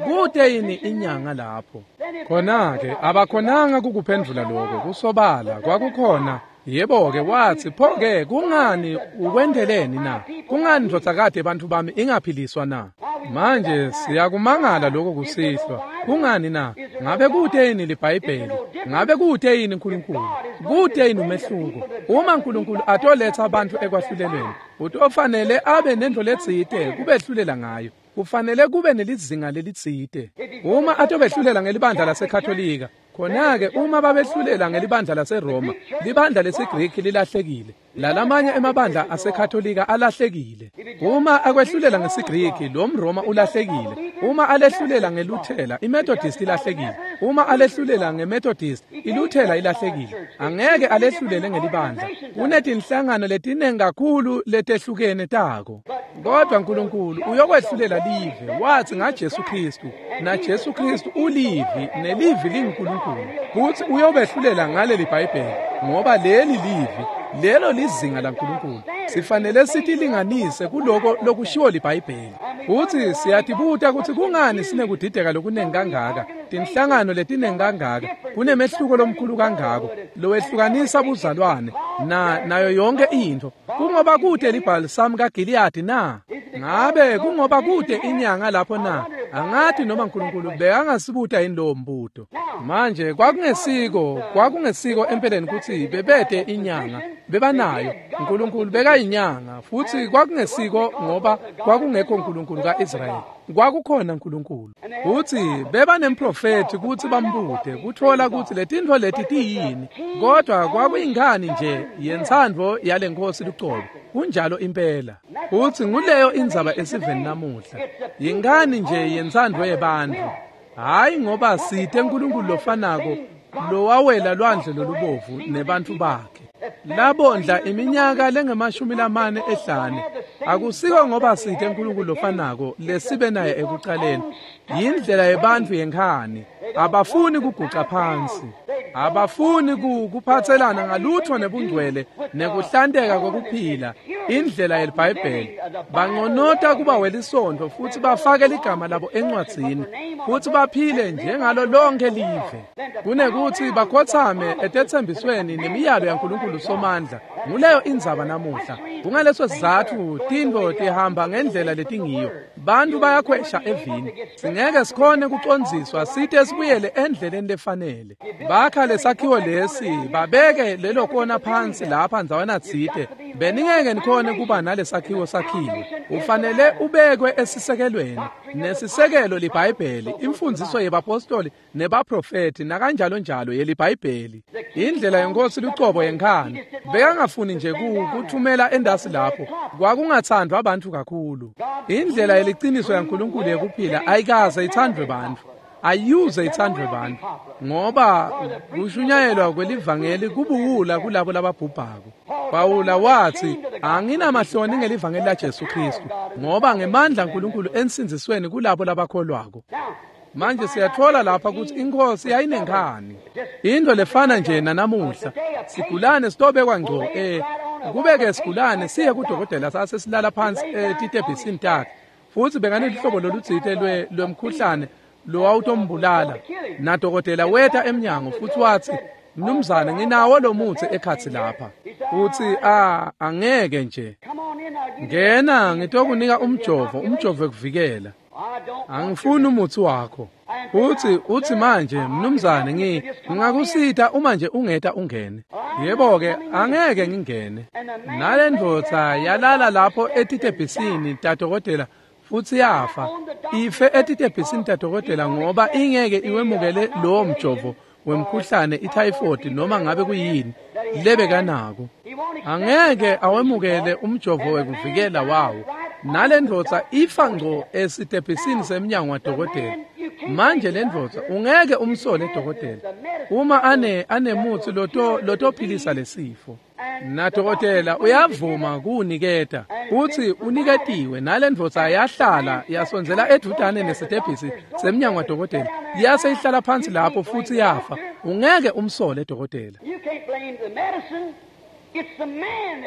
Kute yini inyanga lapho? Khona-ke abakhonanga kukuphendvula lokho, kusobala kwakukhona. Yebo-ke, watsi, pho-ke kungani ukwenteleni na? Kungani ndvodzakati bantfu bami ingaphiliswa na? Manje siyakumangala lokho kusihlwa. Kungani na? Ngabe kute yini liBhayibheli? Ngabe kute yini uNkulunkulu? Kute yini umehluko? Uma uNkulunkulu atoletsa abantu ekwahlulelweni, utofanele abe nentfo letsite kubehlulela ngayo. Kufanele kube nelizinga lelitsite. Uma atobehlulela ngelibandla laseKatolika, khona-ke uma babehlulela ngelibandla laseRoma, libandla lesiGriki lilahlekile, lalamanye emabandla aseKatolika alahlekile. Uma akwehlulela ngesiGriki, lo mRoma ulahlekile. Uma alehlulela ngeLuthela, iMethodist ilahlekile. Uma alehlulela ngeMethodist, iLuthela ilahlekile. Angeke alehlulele ngelibandla. Kunetinhlangano letinengi kakhulu letehlukene tako. Kodwa uNkulunkulu uyokwehlulela live, watsi ngaJesu Kristu, naJesu Kristu ulivi, nelivi linguNkulunkulu. Kutsi uyobehlulela ngaleli Bhayibheli, ngoba leli livi, lelo lizinga laNkulunkulu. Sifanele sitilinganise kuloko lokushiwo liBhayibheli. Futsi siyatibuta kutsi kungani sinekudideka lokunengi kangaka, tinhlangano letinengi kangaka, kunemehluko lomkhulu kangako lowehlukanisa buzalwane na nayo yonke intfo. Kungoba kute libhalisamu kaGiliyadi na? Ngabe kungoba kute inyanga lapho na? Angati noma uNkulunkulu bekangasibuta yini lowo mbuto. Manje kwakungesiko kwakungesiko empeleni kutsi bebete inyanga, bebanayo. uNkulunkulu bekayinyanga, futsi kwakungesiko ngoba kwakungekho uNkulunkulu kaIsrayeli. Kwakukhona uNkulunkulu. Futsi beba nemprofethi kutsi bambute kutfola kutsi letintfo leti tiyini, kodwa kwakuyingani nje yentsandvo yalenkosi lucobo. Kunjalo impela. Futsi nguleyo indzaba esiveni namuhla. Yingani nje yentsandvo yebantfu. Hayi ngoba site uNkulunkulu lofanako lowawela lwandle lolubovu nebantfu bakhe. Labondla iminyaka lengemashumi lamane ehlane. Akusiko ngoba site uNkulunkulu lofanako lesibe naye ekucaleni. Yindlela yebantfu yenkhani. Abafuni kuguca phansi. Abafuni kuphatselana ngalutho nebungcwele nekuhlanteka kokuphila, indlela yeliBhayibheli. Banconota kuba welisontfo futsi bafake ligama labo encwadzini, futsi baphile njengalo lonke live. Kunekutsi bakhotsame etetsembisweni nemiyalo yaNkulunkulu Somandla. Nguleyo indzaba namuhla. Kungaleso sizatfu tintfo tihamba ngendlela letingiyo. Bantu bayakhwesha evini. Singeke sikhone kucondziswa site sibuyele endleleni lefanele. Bakha lesakhiwo lesi, babeke lelo kona phansi lapha ndzawana tsite. Beningeke nikhone kuba nalesakhiwo sakhiwe. Ufanele ubekwe esisekelweni. Nesisekelo liBhayibheli, imfundiso yebapostoli nebaprofeti nakanjalo njalo yeliBhayibheli. Indlela yenkosi lucobo yenkhani. Bekangafuni nje kuthumela endasi lapho. Kwakungathandwa abantu kakhulu. Indlela yeliciniso yaNkulunkulu yekuphila ayikaze ithandwe bantfu. Ayuze ithandwe bantfu ngoba kushunyayelwa kwelivangeli kubuwula kulabo lababhubhako. Pawula wathi anginamahloni ngelivangeli laJesu Kristu ngoba ngemandla kaNkulunkulu ensindzisweni kulabo labakholwako. Manje siyathola lapha ukuthi inkosi yayinenkhani. Into lefana nje nanamuhla. Sigulane sitobekwa ngco eh kubeke sigulane siye kudokotela sase silala phansi etitebhisini takhe. Futhi bekanehlobo lolutsite lwe lwemkhuhlane lowawutombulala. Nadokotela weta emnyango futhi wathi mnumzane nginawo lo muthi ekhatsi lapha. Uthi ah angeke nje. Ngena ngitokunika umjovo, umjovo ekuvikela. Angifuni umuthi wakho. Uthi uthi manje mnumzane ngi ngingakusita uma nje ungeta ungene. Yebo ke angeke ngingene. Nalendvodza yalala lapho etitebhisini tadokotela futhi yafa. Ife etitebhisini tadokotela ngoba ingeke iwemukele lowo mjovo wemkhuhlane ityphoid noma ngabe kuyini lebekanako. Angeke awemukele umjovo wekuvikela wawo. Nalendvodza ifa ngco esitebhisini semnyango wadokotela. Manje lendvodza ungeke umsole dokotela uma ane anemutsi loto lotophilisa lesifo. Nadokotela uyavuma kuuniketa. Uthi uniketiwe. Nalendvodza yahlala yasondzela edvutane nesitebhisi semnyango wadokotela. Yase ihlala phansi lapho futhi yafa. Ungeke umsole dokotela.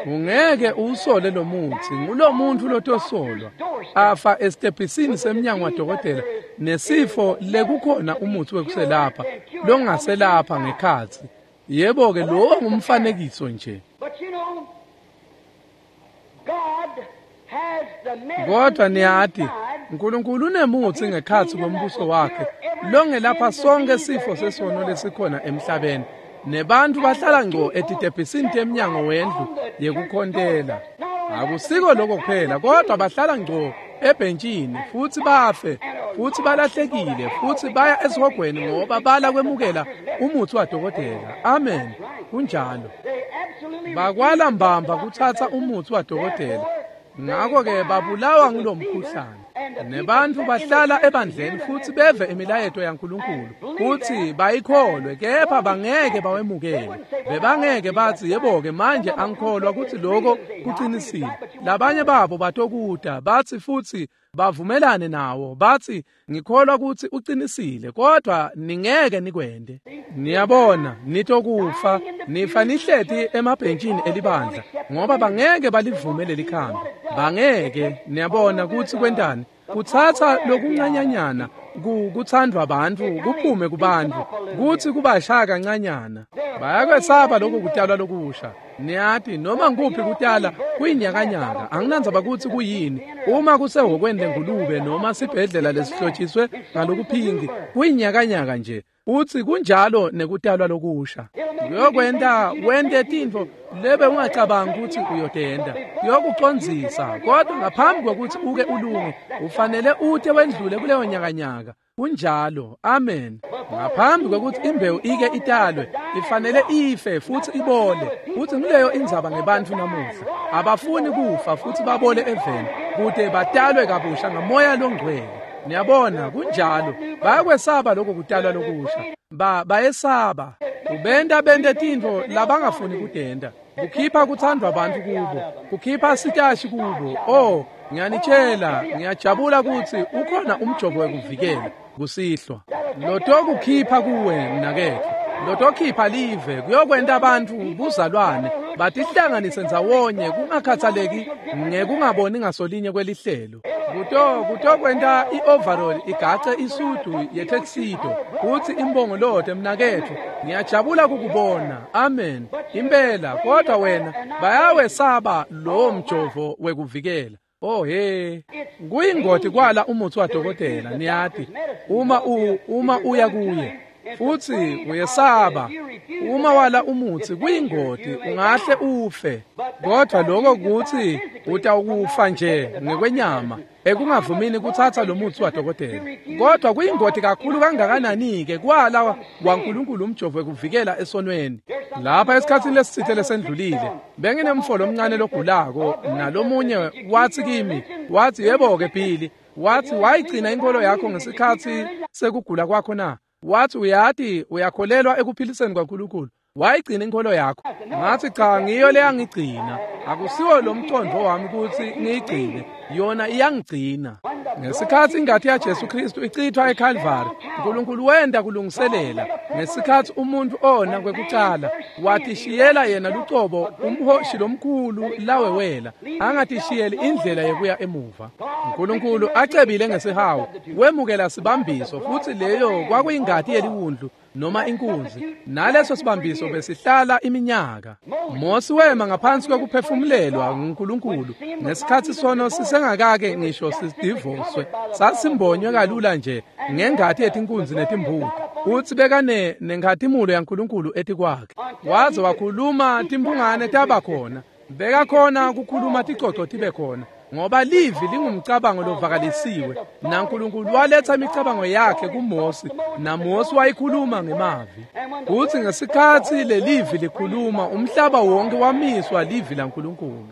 Ungeke usole lo muthi, ngulo muntu lotosolwa afa esitebhisini semnyango wadokotela nesifo lekukhona umuthi wekuselapha longaselapha ngekhatsi. Yebo ke lowo ngumfanekiso nje. Kodwa niyati uNkulunkulu unemutsi ngekhatsi kwembuso wakhe longelapha sonke sifo sesono lesikhona emhlabeni. Nebantu bahlala ngco etitebhisini temnyango wendlu yekukhontela. Akusiko lokho kuphela, kodwa bahlala ngco ebhentshini futhi bafe futhi balahlekile futhi baya esihogweni ngoba bala kwemukela umuthi wadokotela. Amen. Kunjalo. Bakwala mbamba kuthatha umuthi wadokotela. Ngakho-ke babulawa ngulomkhuhlane. Nebantu bahlala ebandleni futhi beve imilayeto yaNkulunkulu futhi bayikholwe, kepha bangeke bawemukele. Bebangeke bathi yebo-ke manje angikholwa ukuthi lokho kuqinisile. Labanye babo batokuda bathi futhi bavumelane nawo bathi ngikholwa ukuthi uqinisile, kodwa ningeke nikwende. Niyabona nitokufa nifa nihleti emabhentshini elibandla ngoba bangeke balivume leli khambi. Bangeke. Niyabona ukuthi kwentani? Kuthatha lokuncanyanyana kuthandwa abantu kuphume kubantu kuthi kubashaya kancanyana. Bayakwesaba lokho kutalwa lokusha. Niyati noma nguphi kutala kuyinyakanyaka, anginandzaba ukuthi kuyini. Uma kusehokweni lengulube noma sibhedlela lesihlotshiswe ngalokuphingi, kuyinyakanyaka nje. Uthi kunjalo nekutalwa lokusha. Kuyokwenta wente tintfo lebe ungacabanga ukuthi uyotenda. Kuyokucondzisa, kodwa ngaphambi kwekuthi uke ulunge ufanele ute wendlule kuleyo nyakanyaka. Kunjalo. Amen. Ngaphambi kwekuthi imbewu ike italwe ifanele ife futhi ibole. Futhi ngileyo indzaba ngebantfu namuhla. Abafuni kufa futhi babole eveni kude batalwe kabusha ngamoya longcwele. Niyabona kunjalo. Bayakwesaba lokho kutalwa lokusha. Ba bayesaba. Ubenda bende tintfo labangafuni kudenda. Kukhipha kuthandwa abantu kubo. Kukhipha sitashi kubo. Oh, ngiyanitshela, ngiyajabula ukuthi ukhona umjovo wekuvikela kusihlwa. Lotokukhipha kuwe mnaketfu. Lotokhipha live kuyokwenta abantu buzalwane batihlanganise ndzawonye kungakhathaleki ngekungaboni ngasolinye kwelihlelo. Kuto kutokwenta i-overall igace isudu yetuxedo kuthi imbongolote mnaketfu. Ngiyajabula kukubona. Amen. Impela, kodwa wena bayawesaba lowo mjovo wekuvikela. Oh he, kuyingoti kwala umuthi wadokotela. Niyati uma u uma uya kuye futhi uyesaba, uma wala umuthi kuyingoti, ungahle ufe. Kodwa lokho kuthi Utawukufa nje ngekwenyama ekungavumini kutsatsa lo mutsi wadokotela. Kodwa kuyingoti kakhulu kangakanani-ke kwala kwaNkulunkulu umjovo wekuvikela esonweni. Lapha esikhatsini lesitsite lesendlulile benginemfo lomncane logulako, nalomunye watsi kimi, watsi, yebo-ke Billy, watsi wayigcina inkolo yakho ngesikhatsi sekugula kwakho na? Watsi uyati uyakholelwa ekuphiliseni kwaNkulunkulu. Wayigcina inkolo yakho. Ngathi cha, ngiyo leyangigcina. Akusiwo lo mcondvo wami kutsi ngiyigcine, yona iyangigcina. Ngesikhatsi ingati yaJesu Kristu ichithwa eKalvari, uNkulunkulu wenda kulungiselela. Ngesikhatsi umuntu ona kwekucala, watishiyela yena lucobo umhoshi lomkhulu lawewela, angatishiyeli indlela yekuya emuva. uNkulunkulu acebile ngesihawu, wemukela sibambiso, futsi leyo kwakuyingati yeliwundlu noma inkunzi, naleso sibambiso besihlala iminyaka. Mosi wema ngaphansi kwekuphefumulelwa nguNkulunkulu ngesikhatsi sono sisengakake ngisho sidivoswe, sasimbonywe kalula nje ngengati yetinkunzi netimbuti. Utsi bekane nenkhatimulo yaNkulunkulu etikwakhe. Waze wakhuluma timphungane taba khona, bekakhona kukhuluma ticoco tibe khona, ngoba livi lingumcabango lovakalisiwe, naNkulunkulu waletha imicabango yakhe kuMosi, naMosi wayikhuluma ngemavi. Kutsi ngesikhatsi lelivi likhuluma, umhlaba wonke wamiswa livi laNkulunkulu.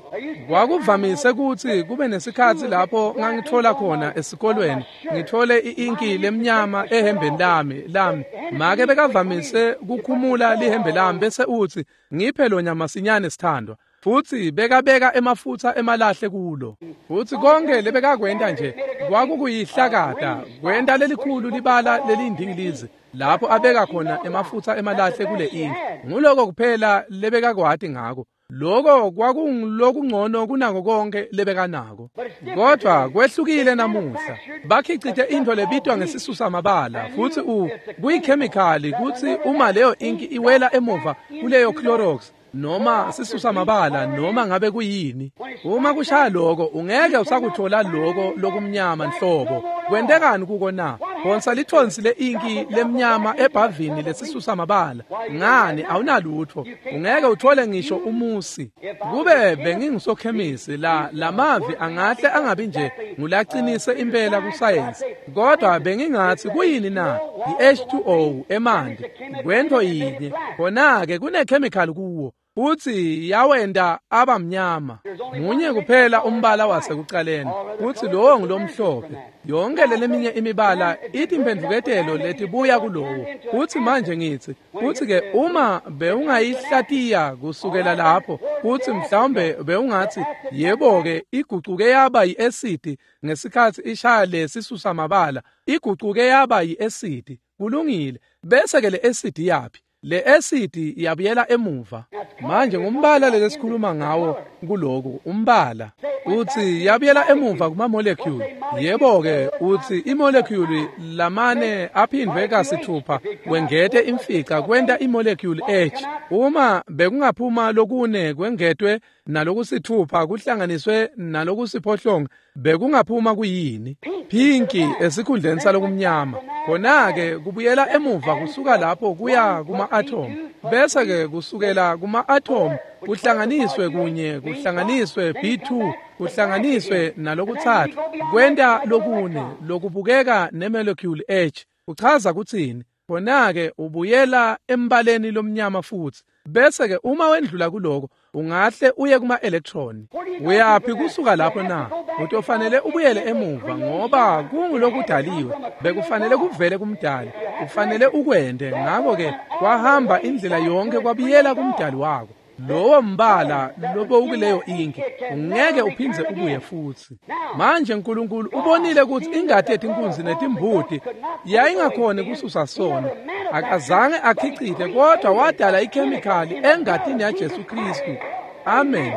Kwakuvamise kutsi kube nesikhatsi lapho ngangitfola khona esikolweni, ngitfole i-inki lemnyama ehembeni lami lami. Make bekavamise kukhumula lihembe lami bese utsi, ngiphe lo masinyane sithandwa. Futsi bekabeka emafutsa emalahle kulo. Futsi konke lebekakwenta nje kwakukuyihlakata, kwenta lelikhulu libala lelindingilizi lapho abeka khona emafutsa emalahle kule inki. Nguloko kuphela lebekakwati ngako. Loko kwakungulokungcono kunako konke lebekanako. Kodwa kwehlukile namuhla. Bakhicite intfo lebitwa ngesisusa mabala, futsi u kuyikhemikhali kutsi uma leyo inki iwela emuva kuleyo Clorox noma sisusa mabala noma ngabe kuyini, uma kushaya loko ungeke usakuthola loko lokumnyama nhlobo. Kwentekani kuko na? Phonsa lithonsi le-inki lemnyama ebhavini lesisusa mabala. Ngani, awunalutfo, ungeke uthole ngisho umusi. Kube bengingusokhemisi, la lamavi angahle angabi nje ngulacinise impela kusayensi, kodwa bengingatsi kuyini na? I-H two O emanti kwento yinye, khona-ke kunekhemikhali kuwo futsi yawenda abamnyama. Munye kuphela umbala wasekucaleni, futsi lowo ngulomhlophe. Yonke leleminye imibala itimphendvuketelo letibuya kulowo. Futsi manje ngitsi, futsi-ke uma bewungayihlatiya kusukela lapho, futsi mhlawumbe bewungatsi, yebo-ke igucuke yaba yi-esidi ngesikhatsi ishaya lesisusa mabala, igucuke yaba yi-esidi. Kulungile. Bese-ke le esidi yaphi? Le esidi yabuyela emuva. Manje ngumbala lesikhuluma ngawo kuloku, umbala. Utsi yabuyela emuva kuma molecule. Yebo-ke utsi imolecule lamane aphindwe kasithupha wengete imfica kwenta imolecule H. Uma bekungaphuma lokune kwengetwe nalokusithupha kuhlanganiswe nalokusiphohlongo, bekungaphuma kuyini? Pinki esikhundleni salokumnyama. Khona-ke kubuyela emuva kusuka lapho kuya kuma-atom, bese-ke kusukela kuma-atom kuhlanganiswe kunye, kuhlanganiswe B two, kuhlanganiswe nalokutsatfu, kwenta lokune lokubukeka nemolecule H. Kuchaza kutsini? Khona-ke ubuyela embaleni lomnyama futsi. Bese-ke uma wendlula kuloko, ungahle uye kuma-electron. Uyaphi kusuka lapho na? Utofanele ubuyele emuva, ngoba kungulokudaliwe, bekufanele kuvele kumdali, ufanele ukwente. Ngako-ke kwahamba indlela yonke kwabuyela kumdali wako. Lowo mbala lobowukuleyo inki ungeke uphindze ubuye futsi. Manje uNkulunkulu ubonile kutsi ingati yetinkunzi netimbuti yayingakhoni kususa sono. Akazange akhicite, kodwa wadala ikhemikhali engatini yaJesu Kristu. Amen.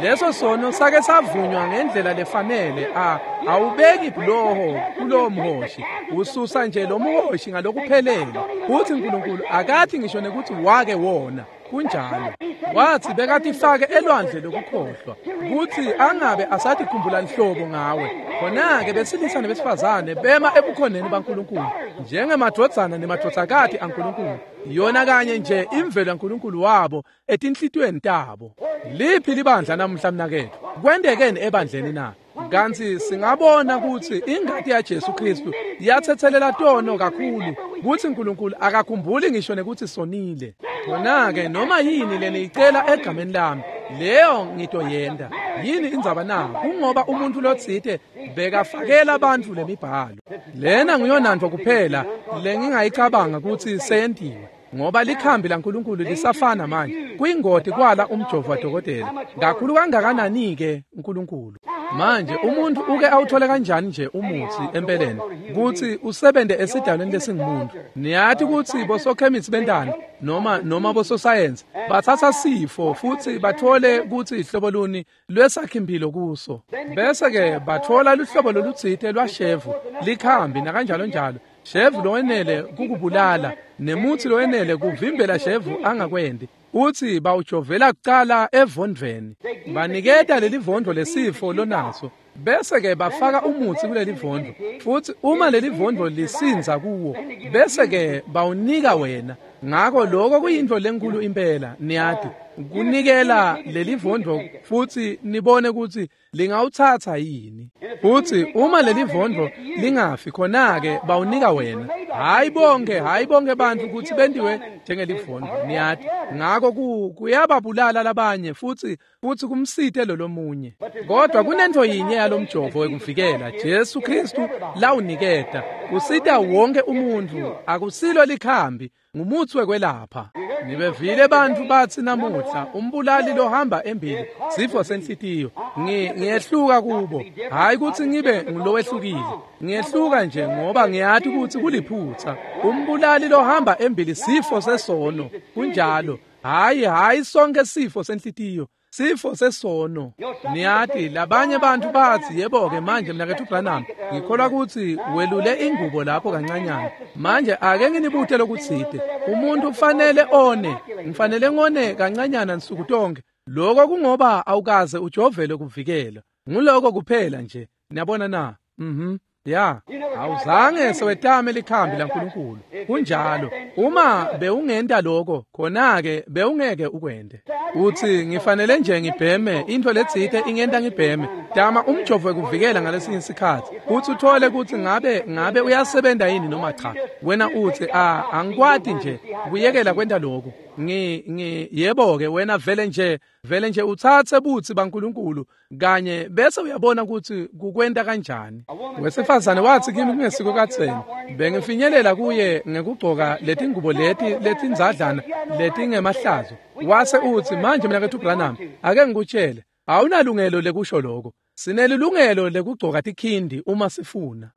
Leso sono sake savunywa ngendlela lefanele. A awubeki ibhuloho kulowo mhoshi, ususa nje lo mhoshi ngalokuphelele. Futsi uNkulunkulu akathi ngisho nekuthi wake wona. Kunjalo. Wathi bekatifake elwandle lokukhohlwa kutsi angabe asatikhumbula nhlobo ngawe. Khona-ke besilisa nebesifazane bema ebukhoneni baNkulunkulu njengemadvodzana nemadvodzakati aNkulunkulu, yona kanye nje imvelo yaNkulunkulu wabo etinhlitiyweni tabo. Liphi libandla namuhla mnaketfu? Kwentekeni ebandleni na? Kantsi singabona kutsi ingati yaJesu Kristu yathethelela tono kakhulu kutsi uNkulunkulu akakhumbuli ngisho nekutsi sonile. Khona-ke noma yini leniyicela egameni lami, leyo ngitoyenta. Yini indzaba na? Kungoba umuntu lotsite bekafakela bantfu lemibhalo. Lena nguyonantfo kuphela lengingayicabanga kutsi seyentiwe, ngoba likhambi laNkulunkulu lisafana manje. Kuyingoti kwala umjovo wadokotela kakhulu kangakanani-ke uNkulunkulu. Manje umuntu uke awuthole kanjani nje umutsi empeleni kutsi usebente esidalweni lesingumuntu? Niyati kutsi bosokhemisi bentani noma noma bososayensi batsatsa sifo futsi bathole kutsi ihlobo luni lwesakhimpilo kuso, bese-ke batfola luhlobo lolutsite lwashevu likhambi nakanjalo njalo. Shevu lowenele kukubulala nemutsi lowenele kuvimbela shevu angakwendi. Uthi bawujovela kucala evondvweni, baniketa leli vondvo lesifo lonaso, bese-ke bafaka umutsi kuleli vondvo, futsi uma leli vondvo lisinza kuwo, bese-ke bawunika wena. Ngako lokho kuyintfo lenkulu impela, niyati, kunikela leli vondvo futsi nibone kutsi lingawutsatsa yini. Futsi uma leli vondvo lingafi, khona-ke bawunika wena. Hhayi bonke, hhayi bonke bantfu kutsi bentiwe njengelivondvo, niyati. Ngako kuyababulala labanye futsi futsi kumsite lolomunye. Kodwa kunentfo yinye yalomjovo wekuvikela Jesu Kristu lawuniketa, usita wonke umuntfu. Akusilo likhambi, ngumutsi wekwelapha. Nibevile bantfu batsi namuhla umbulali lohamba embili sifo senhlitiyo. Ngiyehluka kubo, hhayi kutsi ngibe ngulowehlukile, ngiyehluka nje ngoba ngiyati kutsi kuliphutsa. Umbulali lohamba embili sifo sesono. Kunjalo. Hhayi hhayi sonke sifo senhlitiyo, sifo sesono. Niyati labanye bantfu batsi, yebo-ke manje mnaketfu Branham, ngikholwa kutsi welule ingubo lapho kancanyana. Manje ake nginibute lokutsite. Umuntu kufanele one, ngifanele ngone kancanyana nsuku tonke. Lokho kungoba awukaze ujovele kuvikela. Nguloko kuphela nje. Niyabona na? Mhm. Ya, awuzange sewetame likhambi laNkulunkulu. Kunjalo. Uma bewungenta lokho, khona-ke bewungeke ukwente. Uthi ngifanele nje ngibheme intfo letsite ingenta ngibheme. Tama umjovo wekuvikela ngalesinye isikhatsi. Uthi uthole kutsi ngabe ngabe uyasebenta yini noma cha. Wena uthi a angikwati nje kuyekela kwenta lokho. Ngi ngi yebo-ke wena vele nje vele nje utsatse butsi baNkulunkulu kanye bese uyabona kutsi kukwenta kanjani. Wesifazane watsi kimi kungesiko kadzeni, bengifinyelela kuye ngekugcoka letingubo leti letindzadlana letingemahlazo. Wase utsi manje mnaketfu Branham, ake ngikutshele, awunalungelo lekusho lokho. Sinelilungelo lekugcoka tikhindi uma sifuna.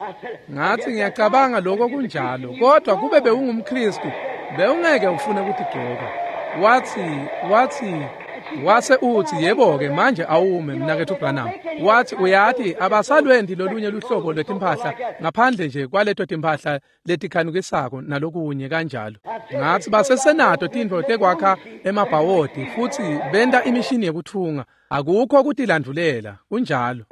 Ngathi ngiyacabanga lokho kunjalo, kodwa kube bewungumKristu bewungeke ufune kutigcoka. Wathi wathi wase uthi yebo-ke manje awume mnaketfu Branham. Wathi uyati abasalwendi lolunye luhlobo lwetimphahla ngaphandle nje kwaleto timphahla letikhanukisako nalokunye kanjalo. Ngathi basesenato tintfo tekwakha emabhawodi futsi benta imishini yekutfunga. Akukho kutilandvulela, kunjalo.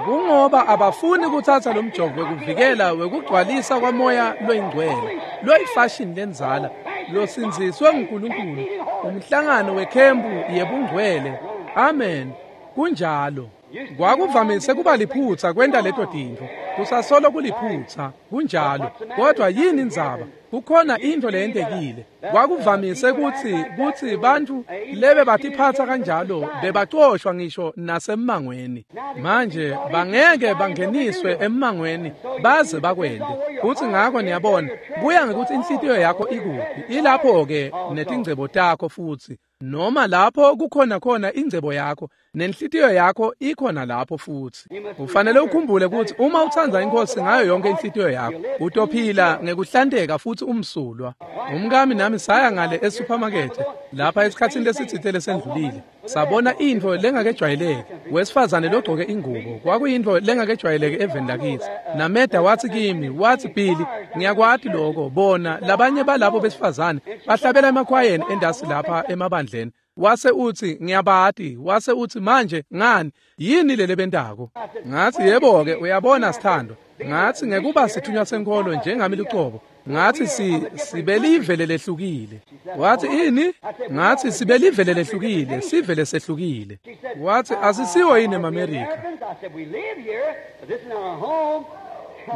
Kungoba abafuni kutsatsa lomjovo wekuvikela wekugcwalisa kwamoya loyingcwele, loyifashini lendzala, losindziswe nguNkulunkulu, umhlangano wekhempu yebungcwele. Amen. Kunjalo. Kwakuvamise kuba liphutsa kwenta leto tintfo. Kusasolo kuliphutsa, kunjalo. Kodwa yini indzaba? Kukhona intfo leyentekile. Kwakuvamise kutsi kutsi bantfu lebe batiphatsa kanjalo bebacoshwa ngisho nasemmangweni. Manje bangeke bangeniswe emmangweni baze bakwente. Futsi ngako niyabona, kuya ngekutsi inhlitiyo yakho ikuphi. Ilapho-ke netingcebo takho futsi. Noma lapho kukhona khona ingcebo yakho, nenhlitiyo yakho ikhona lapho futsi. Ufanele ukhumbule kutsi uma utsandza iNkhosi ngayo yonke inhlitiyo yakho, utophila ngekuhlanteka futsi futsi umsulwa. Umkami nami saya ngale esupermarket lapha esikhatsini lesitsite lesendlulile. Sabona intfo lengakejwayeleki, wesifazane logcoke ingubo, kwakuyintfo lengakejwayeleki eveni lakithi. Nameda watsi kimi, watsi Billy, ngiyakwati lokho, bona labanye balabo besifazane bahlabela emakhwayeni endasi lapha emabandleni. Wase utsi ngiyabati, wase utsi manje ngani yini lelebentako? Ngatsi yebo ke uyabona sithando. Ngatsi ngekuba sithunywa senkolo njengami lucobo. Ngatsi si sibelivele lehlukile. Watsi ini? Ngatsi sibelivele lehlukile, sivele sehlukile. Watsi asisiwo yini emaMerika?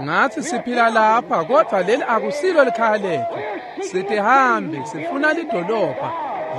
Ngatsi siphila lapha kodwa leli akusilo likhaya lethu. Sitihambi, sifuna lidolobha.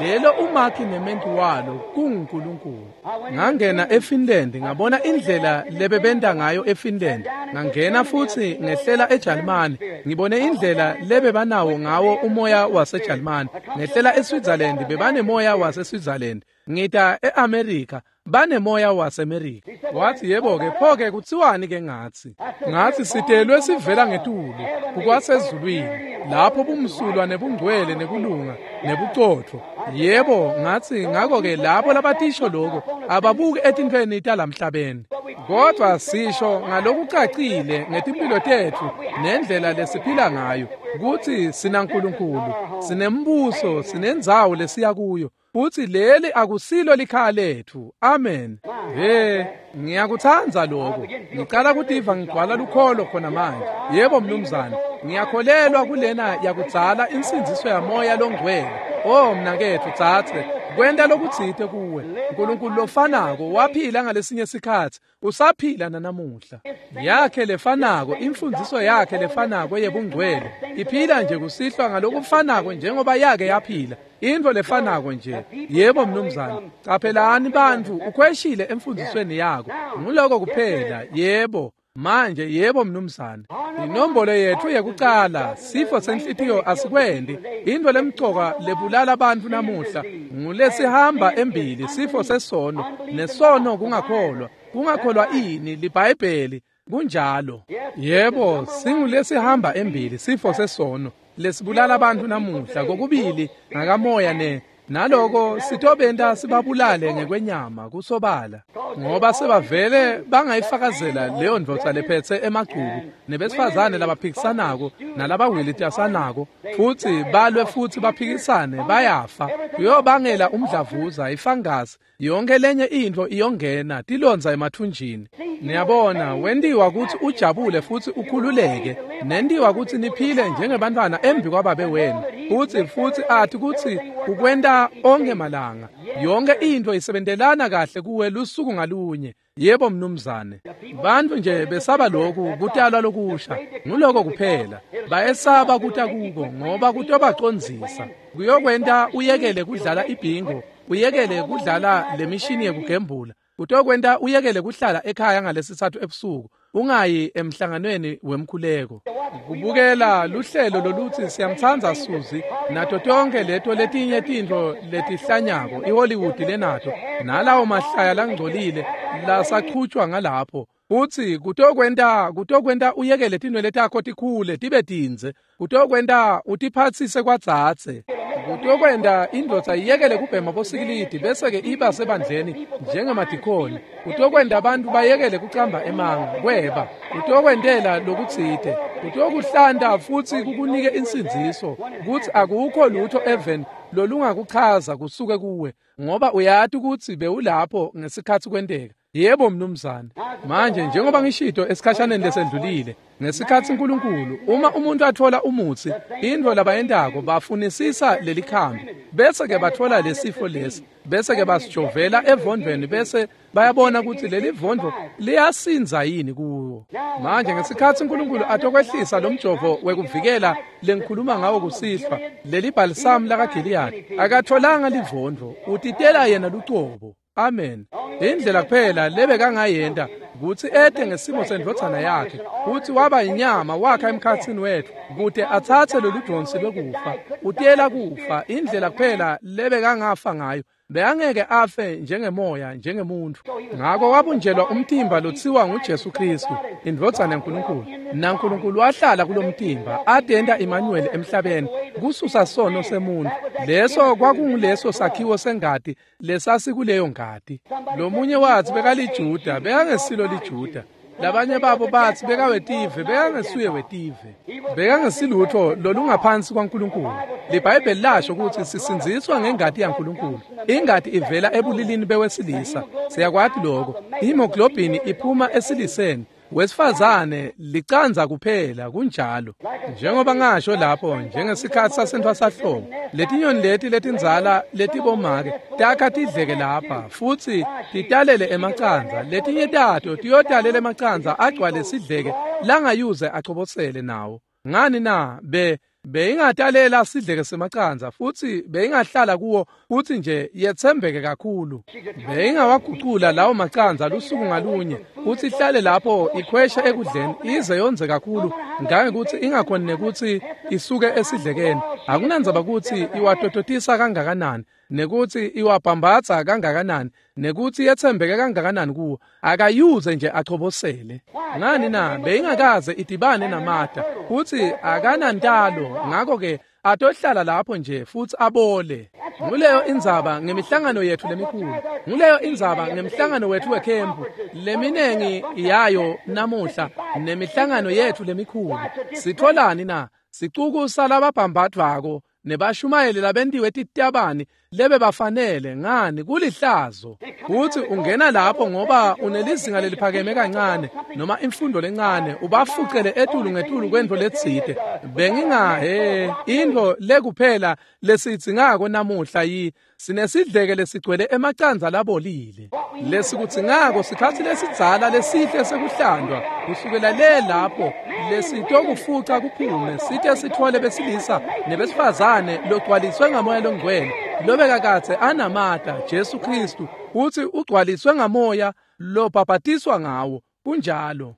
Lelo umakhi nementi walo kunguNkulunkulu. Ngangena eFinland ngabona indlela lebebenta ngayo eFinland. Ngangena futsi ngehlela eJalimane ngibone indlela lebebanawo ngawo umoya waseJalimane. Ngehlela eSwitzerland bebanemoya waseSwitzerland. Ngita eAmerica banemoya waseMerika. Wathi yebo ke pho ke kutsiwani ke ngatsi? Ngatsi sitelwe sivela ngetulu kukwasezulwini lapho bumsulwa nebungcwele nekulunga nebucotfo. Yebo ngatsi ngako ke labo labatisho lokho ababuki etintfweni talamhlabeni, kodwa sisho ngalokucacile ngetimpilo tetfu nendlela lesiphila ngayo kutsi sinaNkulunkulu, sinembuso, sinendzawo lesiya kuyo. Futsi leli akusilo likhaya letfu. Amen. He, ngiyakutsandza lokho. Ngicala kutiva ngigcwala lukholo khona manje. Yebo mnumzane, ngiyakholelwa kulena yakudzala insindziso yamoya longcwele. Oh mnaketfu tsatse, kwenta lokutsite kuwe. uNkulunkulu lofanako waphila ngalesinye sikhatsi, usaphila nanamuhla. Yakhe lefanako, imfundziso yakhe lefanako yebungcwele iphila nje kusihlwa ngalokufanako njengoba yake yaphila. Intfo lefanako nje. Yebo mnumzane. Caphelani bantfu, ukhweshile emfundzisweni yakho. Nguloko kuphela. Yebo. Manje yebo mnumzane. Inombolo yetfu yekucala, sifo senhlitiyo asikwendi. Intfo lemcoka lebulala abantu namuhla ngulesihamba embili, sifo sesono, nesono kungakholwa. Kungakholwa ini? LiBhayibheli. Kunjalo. Yebo, singulesihamba embili, sifo sesono lesibulala abantu namuhla kokubili ngakamoya ne naloko sitobenta sibabulale ngekwenyama kusobala, ngoba sebavele bangayifakazela leyo ndvodza lephetse emagcubu nebesifazane labaphikisanako nalabawilitasanako futsi balwe futsi baphikisane bayafa. Kuyobangela umdlavuza, ifangasi, yonke lenye intfo iyongena tilondza emathunjini. Niyabona, wentiwa kutsi ujabule futsi ukhululeke, nentiwa kutsi niphile njengebantfwana embi kwababe wenu, futsi futsi athi kutsi ukwenta onke malanga. Yonke intfo isebentelana kahle kuwe lusuku ngalunye. Yebo mnumzane. Bantfu nje besaba lokhu kutalwa lokusha. Nguloko kuphela. Bayesaba kuta kuko ngoba kutobacondzisa. Kuyokwenta uyekele kudlala ibhingo, uyekele kudlala lemishini yekugembula. Kutokwenta uyekele kuhlala ekhaya ngalesitsatfu ebusuku, ungayi emhlanganweni wemkhuleko. Kubukela luhlelo lolutsi siyamtsandza Suzi nato tonke leto letinye tintfo letihlanyako iHollywood lenato nalawo mahlaya langcolile lasachutjwa ngalapho. Utsi kutokwenta kutokwenta uyekele tinwele takho tikhule tibe tindze, kutokwenta utiphatsise kwadzadze. Kutokwenta indvodza iyekele kubhema bosikilidi bese ke iba sebandleni njengemadikoni. Kutokwenta abantu bayekele kucamba emanga kweba. Kutokwentela lokutsite. Kutokuhlanta futsi kukunike insindziso kutsi akukho lutho even lolungakuchaza kusuke kuwe, ngoba uyati kutsi bewulapho ngesikhatsi kwenteka. Yebo mnumzane. Manje njengoba ngishito esikhashaneni lesendlulile, ngesikhatsi uNkulunkulu uma umuntu athola umutsi, intfo labayentako bafunisisa lelikhambi, bese ke bathola lesifo lesi, bese ke basijovela evondvweni, bese bayabona kutsi leli vondvo liyasinza yini kuwo. Manje ngesikhatsi uNkulunkulu atokwehlisa lomjovo wekuvikela lengikhuluma ngawo kusihlwa, leli bhalisamu lakaGiliyadi, akatholanga livondvo, utitela yena lucobo. Amen. Indlela kuphela lebekangayenta kutsi ete ngesimo sendvodzana yakhe, kutsi waba inyama wakha emkhatsini wetfu kute atsatse lolu dvonsi lwekufa. Utela kufa, indlela kuphela lebekangafa ngayo Bekangeke afe njengemoya njengemuntu. Ngako wabunjelwa umtimba lotsiwa nguJesu Kristu, indvodzana yaNkulunkulu. NaNkulunkulu wahlala kulomtimba atenta Emmanuel emhlabeni kususa sono semuntu. Leso kwakunguleso sakhiwo sengati lesasikuleyo ngati. Lomunye wathi bekaliJuda, bekangesilo liJuda. Labanye babo bathi bekawetive, bekangesuye wetive. Bekangesilutho lolungaphansi kwaNkulunkulu. LiBhayibheli lasho ukuthi sisindziswa ngengati yaNkulunkulu. Ingati ivela ebulilini bewesilisa. Siyakwati lokho. Hemoglobin iphuma esiliseni. Wesifazane licanza kuphela kunjalo. Njengoba ngasho lapho njengesikhathi sasentfwasahlobo, letinyoni leti letindzala letibomake takha tidleke lapha futsi titalele emacandza. Letinye tato tiyotalela emacandza agcwale sidleke langayuze achobosele nawo. Ngani na be beyingatalela sidleke semacandza futsi beyingahlala kuwo futsi nje yetsembeke kakhulu. Beyingawagucula lawo macandza lusuku ngalunye futsi ihlale lapho ikhwesha ekudleni ize yondze kakhulu ngangekuthi ingakhoni nekutsi isuke esidlekeni. Akunandzaba kutsi iwatototisa kangakanani nekutsi iwabhambatsa kangakanani nekutsi yetsembeke kangakanani kuwo, akayuze nje achobosele. Ngani na beyingakaze idibane namata futsi akanantalo, ngakho-ke atohlala lapho nje futsi abole. Nguleyo indzaba ngemihlangano yethu lemikhulu. Nguleyo indzaba ngemhlangano wethu wekhempu leminengi yayo namuhla nemihlangano yethu lemikhulu. Sitholani na? Sicuku salababhambatvako nebashumayeli labentiwe titabani lebe bafanele. Ngani kulihlazo kutsi ungena lapho ngoba unelizinga leliphakeme kancane noma imfundo lencane ubafucele etulu ngetulu kwentfo letsite. Bengingahe intfo lekuphela lesidzingako namuhla yi sinesidleke lesigcwele emacandza labolile. Lesikudzingako sikhatsi lesidzala lesihle sekuhlandwa kusukela le lapho lesitokufuca kuphume site sitfole besilisa nebesifazane logcwaliswe ngamoya longcwele lobekakadze anamata Jesu Kristu utsi ugcwaliswe ngamoya lobhabhatiswa ngawo. Kunjalo.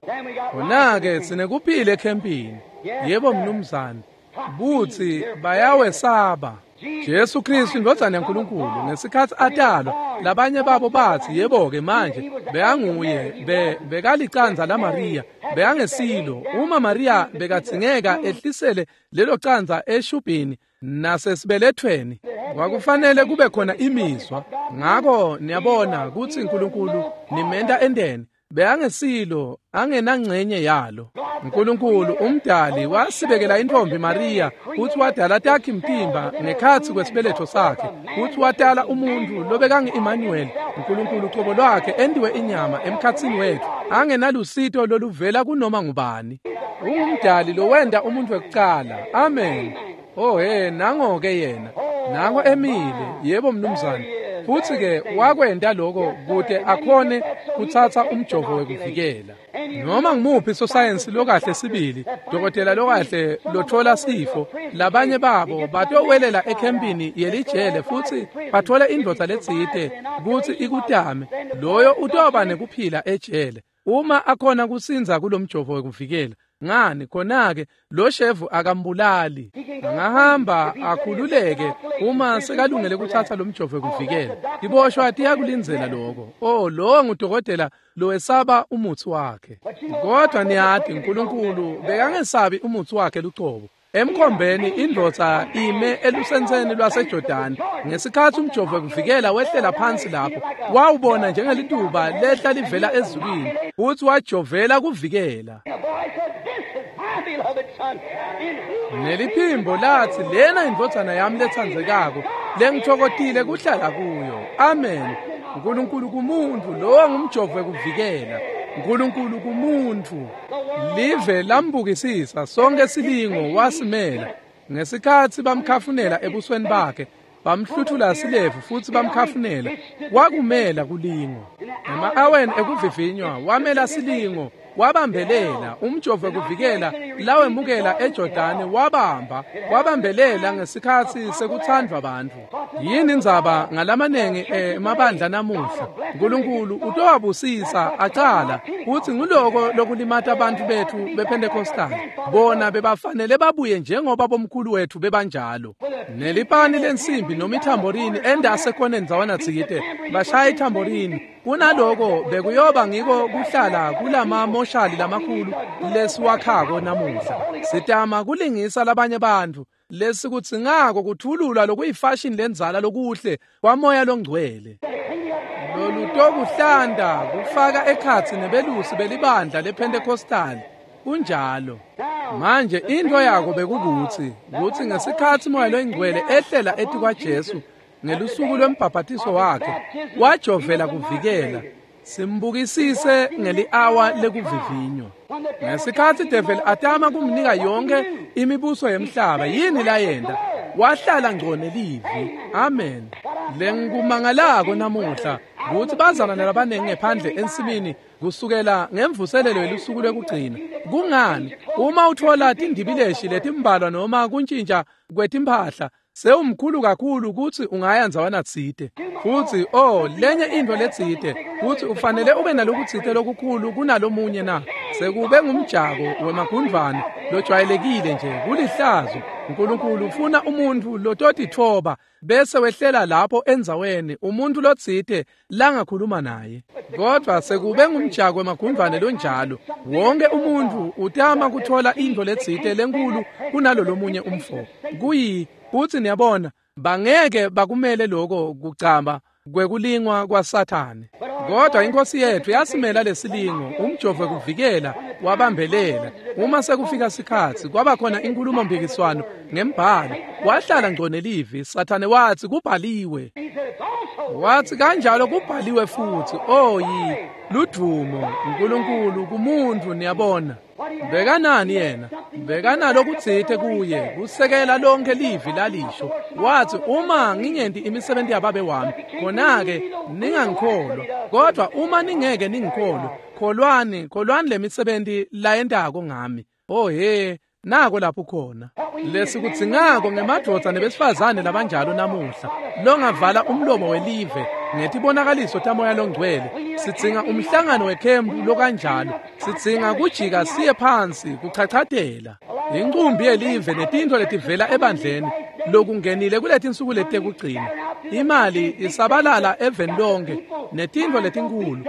Khona-ke sinekuphila ekhempini. Yebo mnumzane. Butsi bayawesaba. Jesu Kristu indvodzana yaNkulunkulu ngesikhatsi atalwa labanye babo bathi yebo-ke manje bekanguye be bekalicandza laMariya, bekangesilo. Uma Mariya bekadzingeka ehlisele lelo candza eshubhini nasesibelethweni kwakufanele kube khona imizwa. Ngako niyabona kutsi uNkulunkulu nimenta endeni bekangesilo, angenangcenye yalo. uNkulunkulu umdali wasibekela intombi Maria kutsi wadala takhe mtimba ngekhatsi kwesibeletho sakhe, kutsi wadala umuntu lobekangu-Emmanuel, uNkulunkulu ucobo lwakhe endiwe inyama emkhatsini wethu, angenalusito loluvela kunoma ngubani. Ungumdali lowenda umuntu wekucala. Amen. Oh he, nango-ke yena, nango emile. Yebo mnumzane. Futsi-ke wakwenta lokho kute akhone kutsatsa umjovo wekuvikela. Noma ngumuphi sosayensi lokahle sibili, dokotela lokahle lothola sifo, labanye babo batowelela ekhempini yelijele futsi bathola indvodza letsite kutsi ikutame. Loyo utoba nekuphila ejele uma akhona kusindza kulomjovo wekuvikela. Ngani khona-ke lo shevu akambulali, angahamba akhululeke uma sekalungele kutsatsa lo mjovo wekuvikela. Tiboshwa tiyakulindzela lokho. Oh, lowo ngudokotela lowesaba umutsi wakhe. Kodwa niyati uNkulunkulu bekangesabi umutsi wakhe lucobo. Emkhombeni indvodza ime elusentseni lwaseJordani ngesikhatsi umjovo wekuvikela wehlela phansi lapho, wawubona njengelituba lehla livela ezulwini futsi wajovela kuvikela. Neliphimbo lathi lena indvodzana yami letsandzekako lengitfokotile kuhlala kuyo. Amen. uNkulunkulu kumuntu, lowo ngumjovo wekuvikela. uNkulunkulu kumuntu. Live lambukisisa sonke silingo wasimela. Ngesikhatsi bamkhafunela ebusweni bakhe, bamhluthula silevu futsi bamkhafunela, wakumela kulingo. Ema-aweni ekuvivinywa wamela silingo Wabambelela umjovo wekuvikela lawemukela eJordani, wabamba wabambelela ngesikhatsi sekuthandwa bantfu. Yini indzaba ngalamanengi emabandla namuhla? Nkulunkulu utowabusisa acala kutsi nguloko lokulimata bantfu betfu bePentecostal. Bona bebafanele babuye njengoba bomkhulu wethu bebanjalo. Nelipani lensimbi noma ithamborini endase khona ndzawana tsite bashaya ithamborini. Kunaloko bekuyoba ngiko kuhlala kulama moshali lamakhulu lesiwakhako namuhla. Sitama kulingisa labanye bantfu lesikudzingako kuthulula lokuyifashion lendzala lokuhle kwamoya longcwele. Lolutokuhlanda kufaka ekhatsi nebelusi belibandla lePentecostal. Kunjalo. Manje into yako bekukutsi kutsi ngesikhatsi moya longcwele ehlela etikwa Jesu ngelusuku lwembhaphatiso wakhe wajovela kuvikela. Simbukisise ngeli-awa lekuvivinywa. Ngesikhatsi devil atama kumnika yonke imibuso yemhlaba, yini layenta? Wahlala ngco nelivi. Amen. Lengikumangalako namuhla kutsi bazalwane labanengi ngephandle ensimini kusukela ngemvuselelo yelusuku lwekugcina. Kungani? Uma utfola tindibileshi letimbalwa noma kuntjintja kwetimphahla, sewumkhulu kakhulu kutsi ungaya ndzawana tsite. Futsi oh lenye intfo letsite kutsi ufanele ube nalokutsite lokukhulu kunalomunye na. Sekube ngumjako wemagundvwane lojwayelekile nje, kulihlazo. Nkulunkulu ufuna umuntfu lototitfoba bese wehlela lapho endzaweni umuntfu lotsite langakhuluma naye. Kodvwa sekube ngumjako wemagundvwane lonjalo, wonke umuntfu utama kutfola intfo letsite lenkulu kunalo lomunye umfo. Kuyi futsi niyabona bangeke bakumele lokho kucamba kwekulingwa kwaSathane. Kodwa inkosi yethu yasimela lesilingo, umjovo kuvikela wabambelela. Uma sekufika sikhatsi kwaba khona inkulumo mpikiswano ngembhalo, wahlala ngco nelivi. Sathane watsi kubhaliwe, watsi kanjalo kubhaliwe futhi. Oh yi ludumo uNkulunkulu kumuntu. Niyabona bekanani yena? Bekanalo kutsite kuye kusekela lonke livi lalisho. Wathi uma ngingenti imisebenzi yababe wami, khona-ke ningangikholwa. Kodwa uma ningeke ningikholwe, kholwani, kholwani lemisebenzi layentako ngami. Oh he, nako lapho khona. Lesikudzingako ngemadvodza nebesifazane labanjalo namuhla, longavala umlomo welive ngetibonakaliso tamoya longcwele. Sidzinga umhlangano wekhempu lokanjalo. Sidzinga kujika siye phansi kuchachatela incumbi yelive netintfo letivela ebandleni lokungenile kuletinsuku letekugcina. Imali isabalala eveni lonke netintfo letinkulu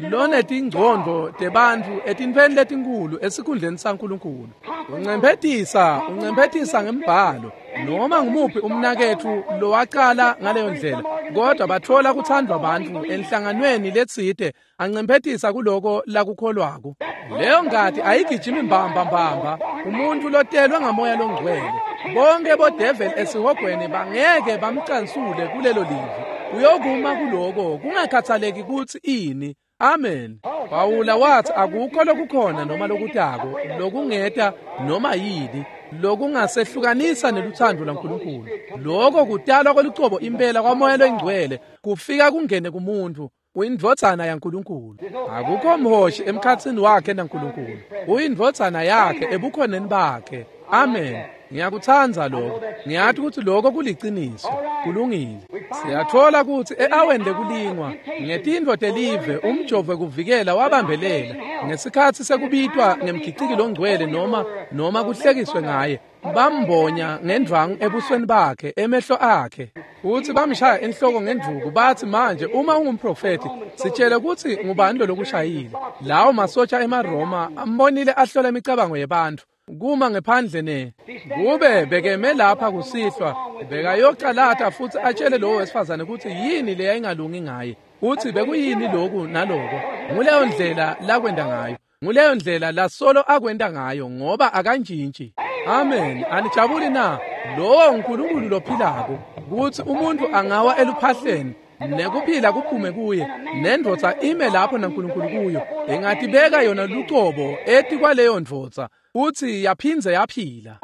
lonetingcondvo tebantfu etintfweni letinkulu esikhundleni saNkulunkulu. Uncemphetisa uncemphetisa ngembhalo noma ngumuphi umnaketfu lowacala ngaleyo ndlela, kodwa batfola kuthandwa bantfu enhlanganweni letsite ancemphetisa kuloko lakukholwako. Leyo ngati ayigijimi mbamba mbamba umuntu lotelwe ngamoya longcwele. Bonke bodevil esihogweni bangeke bamcansule kulelo livi. Uyokuma kuloko kungakhathaleki kutsi ini. Amen. Pawula wathi akukho lokukhona noma lokutako lokungeta noma yini lokungasehlukanisa neluthando lwaNkulunkulu. Lokho kutalwa kwelucobo impela kwamoya longcwele kufika kungene kumuntu, uyindvodzana yaNkulunkulu. Akukho mhoshi emkhatsini wakhe naNkulunkulu, uyindvodzana yakhe ebukhoneni bakhe. Amen. Ngiyakutsandza lokho. Ngiyati kutsi lokho kuliciniso. Kulungile. Siyatfola kutsi e-aweni lekulingwa ngetintfo telive umjovo kuvikela wabambelela ngesikhatsi sekubitwa ngemgiciki longcwele noma noma kuhlekiswe ngaye. Bambonya ngendvwangu ebusweni bakhe, emehlo akhe, futsi bamshaya enhloko ngendvuku. Bathi manje uma ungumprofethi sitshele kutsi ngubani lo lokushayile. Lawo masotsha emaRoma ambonile ahlola imicabango yebantfu kuma ngephandle ne kube bekeme lapha kusihlwa bekayocalata futsi atshele lowo wesifazane kutsi yini leyayingalungi ngaye, kutsi bekuyini loku naloko. Nguleyo ndlela lakwenta ngayo, nguleyo ndlela lasolo akwenta ngayo, ngoba akantshintshi. Amen. Anijabuli na? Lowo uNkulunkulu lophilako kutsi umuntu angawa eluphahleni nekuphila kuphume kuye, nendvodza ime lapho naNkulunkulu kuyo, ingatibeka yona lucobo etikwaleyo ndvodza futsi yaphindze yaphila.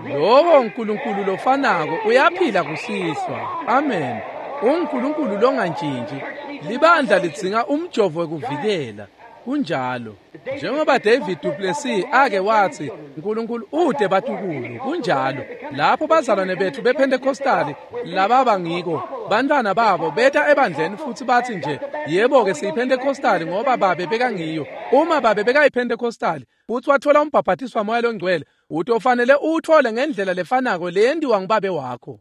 Lowo uNkulunkulu lofanako uyaphila kusihlwa. Amen. uNkulunkulu longantshintshi. Libandla lidzinga umjovo wekuvikela. Kunjalo. Njengoba David Duplessis ake wathi, uNkulunkulu ude batukulu. Kunjalo. Lapho bazalwane bethu bePentecostali lababa ngiko, bantwana babo beta ebandleni futhi bathi nje, yebo ke siyiPentecostali ngoba babe bekangiyo. Uma babe bekayiPentecostali futhi wathola umbhaphatiswa moya longcwele, utofanele uthole ngendlela lefanako leyendiwa ngubabe wakho.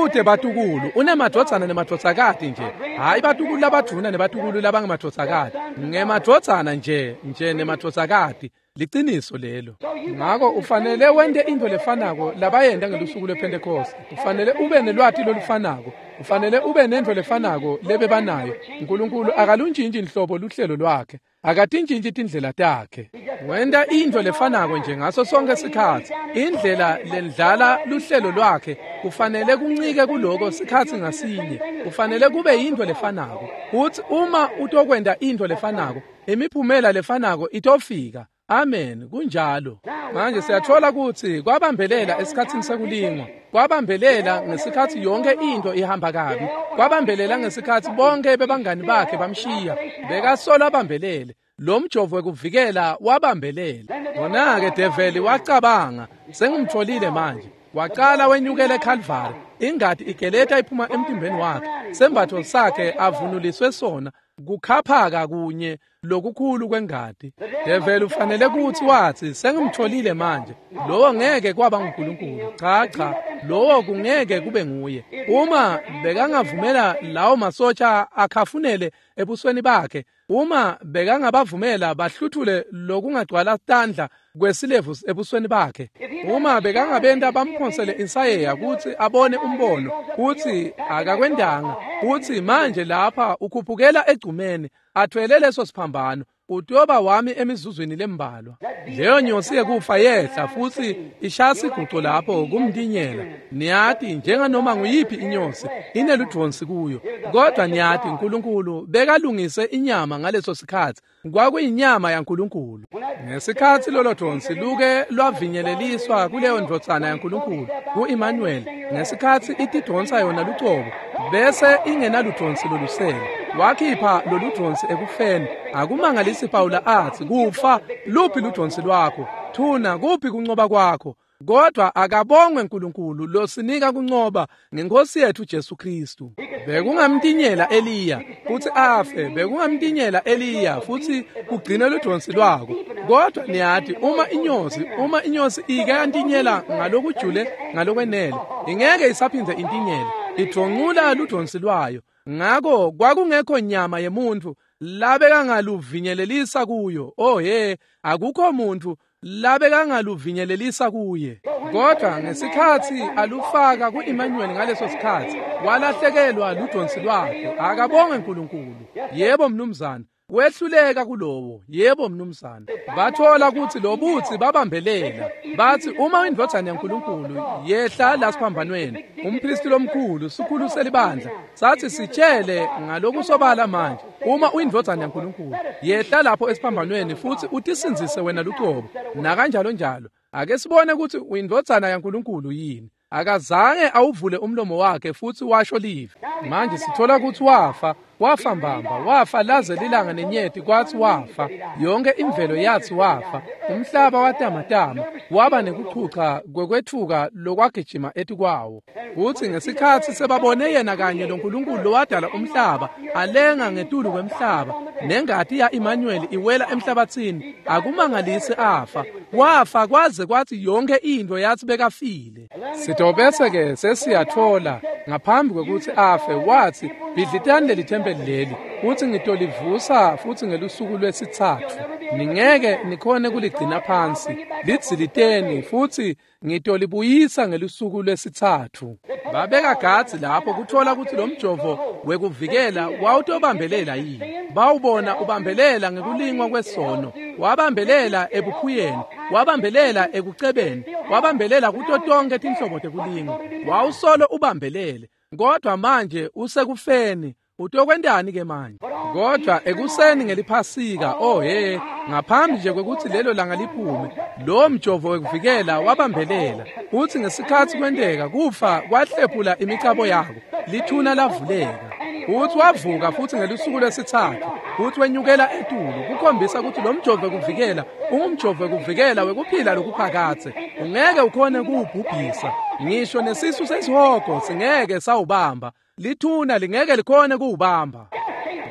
Ude batukulu unemadvodzana nemadvodzakati nje, hayi batukulu labadvuna nebatukulu labangemadvodzakati, ngemadvodzana nje nje nemadvodzakati. Liciniso lelo. Ngako ufanele wente into lefanako labayenta ngelusuku lwePentecost. Ufanele ube nelwati lolufanako, ufanele ube nento lefanako lebebanayo. uNkulunkulu akaluntshintshi inhlobo luhlelo lwakhe, akatintshintshi tindlela takhe. Wenta into lefanako nje ngaso sonke sikhatsi. Indlela lendlala luhlelo lwakhe kufanele kuncike kuloko sikhatsi ngasinye. Kufanele kube yinto lefanako. Uthi uma utokwenta into lefanako, imiphumela lefanako itofika. Amen. Kunjalo. Manje siyathola ukuthi kwabambelela esikhatsini sekulingwa, kwabambelela ngesikhathi yonke into ihamba kabi, kwabambelela ngesikhathi bonke bebangani bakhe bamshiya, bekasola abambelele. Lo mjovo wekuvikela wabambelela. Wona-ke develi wacabanga, sengimtholile manje. Waqala wenyukela eCalvary, ingati igeleta iphuma emtimbeni wakhe, sembatho sakhe avunuliswe sona, kukhaphaka kunye lokukhulu kwengati. Develi ufanele kuthi wathi, sengimtholile manje, lowo ngeke kwaba nguNkulunkulu. Cha cha, lowo kungeke kube nguye. Uma bekangavumela lawo masotsha akhafunele ebusweni bakhe, uma bekangabavumela bahluthule lokungagcwala tandla kwesilevu ebusweni bakhe, uma bekangabenta bamphonsele insayeya kuthi abone umbono kuthi akakwendanga, kuthi manje lapha ukhuphukela egcumeni athwele leso siphambano, utoba wami emizuzwini lembalwa. Leyo nyosi yekufa yehla futhi ishaya siguco lapho kumntinyela. Niyati njenganoma nguyiphi inyosi ineludvonsi kuyo, kodwa niyati uNkulunkulu bekalungise inyama ngaleso sikhatsi. Kwakuyinyama yaNkulunkulu. Ngesikhatsi lolo dvonsi luke lwavinyeleliswa kuleyo ndvodzana yaNkulunkulu ku-Emmanuel, ngesikhatsi itidvonsa yona lucobo bese ingenaludvonsi lolusele, wakhipha loludvonsi ekufeni. Akumangalisi Pawula athi, kufa luphi ludvonsi lwakho? Thuna kuphi kuncoba kwakho? Kodwa akabongwe uNkulunkulu losinika kuncoba ngenkosi yethu Jesu Kristu. Bekungamtinyela Eliya futhi afe, bekungamtinyela Eliya futhi kugcine ludvonsi lwako. Kodwa niyati uma inyosi, uma inyosi ike yantinyela ngalokujule ngalokwenele, ingeke isaphindze intinyele, idvoncula ludvonsi lwayo. Ngako kwakungekho nyama yemuntu labekangaluvinyelelisa kuyo. Oh he, akukho muntu labekangaluvinyelelisa kuye. Kodwa ngesikhatsi alufaka ku-Emmanuel ngaleso sikhatsi, walahlekelwa ludvonsi lwakhe. Akabonge uNkulunkulu. Yebo mnumzane, wehluleka kulowo. Yebo mnumzane. Bathola ukuthi lobutsi babambelela. Bathi uma indvodzana yaNkulunkulu yehla la siphambanweni, umpristi lomkhulu sikhulu selibandla sathi, sitshele ngalokusobala manje, uma uyindvodzana yaNkulunkulu yehla lapho esiphambanweni futhi utisindzise wena lucobo, nakanjalo njalo. Ake sibone ukuthi uyindvodzana yaNkulunkulu yini. Akazange awuvule umlomo wakhe futhi washo live. Manje sithola ukuthi wafa, wafa mbamba, wafa laze lilanga nenyeti kwathi wafa. Yonke imvelo yathi wafa. Umhlaba watamatama, waba nekuchucha kwekwethuka lokwagijima etikwawo. Uthi ngesikhatsi sebabone yena kanye loNkulunkulu lowadala umhlaba, alenga ngetulu kwemhlaba, nengati ya-Emmanuel iwela emhlabathini, akumangalisi afa. Wafa kwaze kwathi yonke into yathi bekafile. Sitobese ke sesiyathola ngaphambi kwekuthi afe wathi, bhidlitani leli thempeli leli, uthi ngitolivusa futhi ngelusuku lwesithathu. Ningeke nikhone kuligcina phansi, lidziliteni futhi ngitolibuyisa ngelusuku lwesithathu. Babeka gadzi lapho kuthola ukuthi lo mjovo wekuvikela wawutobambelela yini. Bawubona ubambelela ngekulingwa kwesono, wabambelela ebukhuyeni, wabambelela ekucebeni, wabambelela kuto tonke tinhlobo tekulingwa. Wawusolo ubambelele, kodwa manje usekufeni. Utokwentani ke manje? Kodwa ekuseni ngeliphasika, oh he, ngaphambi nje kwekuthi lelo langa liphume, lo mjovo wekuvikela wabambelela. Uthi ngesikhatsi kwenteka kufa kwahlephula imicabo yako, lithuna lavuleka. Futhi wavuka futhi ngelusuku lwesithathu, futhi wenyukela etulu, kukhombisa ukuthi lo mjovo wekuvikela ungumjovo wekuvikela wekuphila lokuphakadze. Ungeke ukhone kuwubhubhisa, ngisho nesisu sesihogo singeke sawubamba, lithuna lingeke likhone kuwubamba,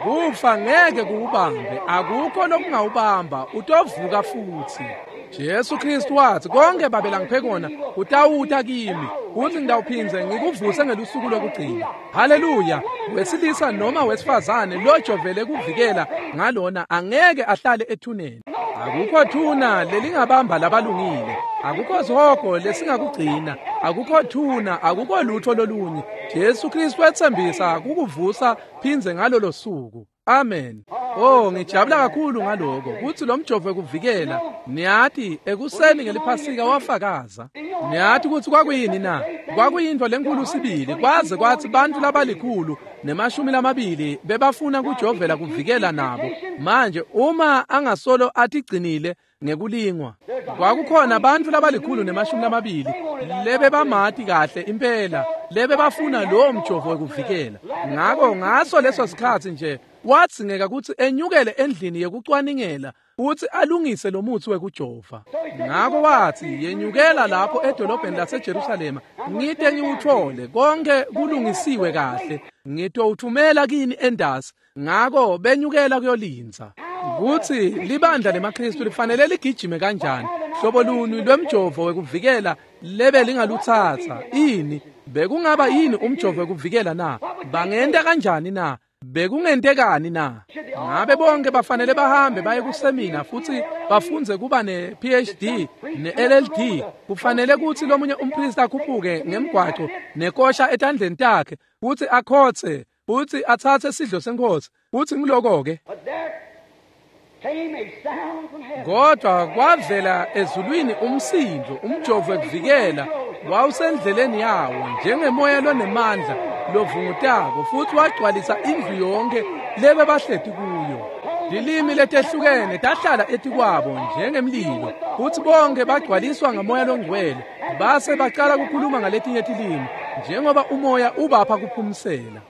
kufa ngeke kuwubambe, akukho lokungawubamba, utovuka futhi. Jesu Kristu wathi, konke Babe langiphe kona utawuta kimi, futhi ngitawuphindze ngikuvuse ngelusuku lokugcina. Haleluya! Wesilisa noma wesifazane lojovele kuvikela ngalona angeke ahlale ethuneni. Akukho thuna lelingabamba labalungile, akukho sihogo lesingakugcina, akukho thuna, akukho lutho lolunye. Jesu Kristu wetsembisa kukuvusa phindze ngalolo suku. Amen. Oh, ngijabula kakhulu ngaloko kutsi lo mjovo wekuvikela, niyati ekuseni ngeliphasika wafakaza. Niyati kutsi kwakuyini na? Kwakuyintfo lenkulu sibili, kwaze kwatsi bantfu labalikhulu nemashumi lamabili bebafuna kujovela kuvikela nabo. Manje uma angasolo atigcinile ngekulingwa, kwakukhona bantfu labalikhulu nemashumi lamabili lebebamati kahle impela, lebebafuna lowo mjovo wekuvikela. Ngako ngaso leso sikhatsi nje wadzingeka kutsi enyukele endlini yekucwaningela futsi alungise lo mutsi wekujova. Ngako watsi, yenyukela lapho edolobheni laseJerusalema, ngite ngiwutfole konke kulungisiwe kahle, ngitowuthumela kini endasi. Ngako benyukela kuyolindza. Kutsi libandla lemaKristu lifanele ligijime kanjani, hlobo luni lwemjovo wekuvikela lebe lingalutsatsa? Ini bekungaba yini umjovo wekuvikela na? Bangenta kanjani na? Bekungentekani na? Ngabe bonke bafanele bahambe baye kusemina futhi bafundze kuba ne-P H D ne-L L D? Kufanele kutsi lomunye umpristi akhuphuke ngemgwaco nekosha etandleni takhe futhi akhotse futhi atsatse sidlo senkosi, futhi ngiloko-ke. Kodwa kwavela ezulwini umsindo, umjovo wekuvikela wawusendleleni yawo njengemoya lonemandla lovungutako, futhi wagcwalisa indlu yonke lebe bahleti kuyo. Tilimi letehlukene tahlala etikwabo njengemlilo, futhi bonke bagcwaliswa ngamoya longcwele, base bacala kukhuluma ngaletinye tilimi njengoba umoya ubapha kuphumsela.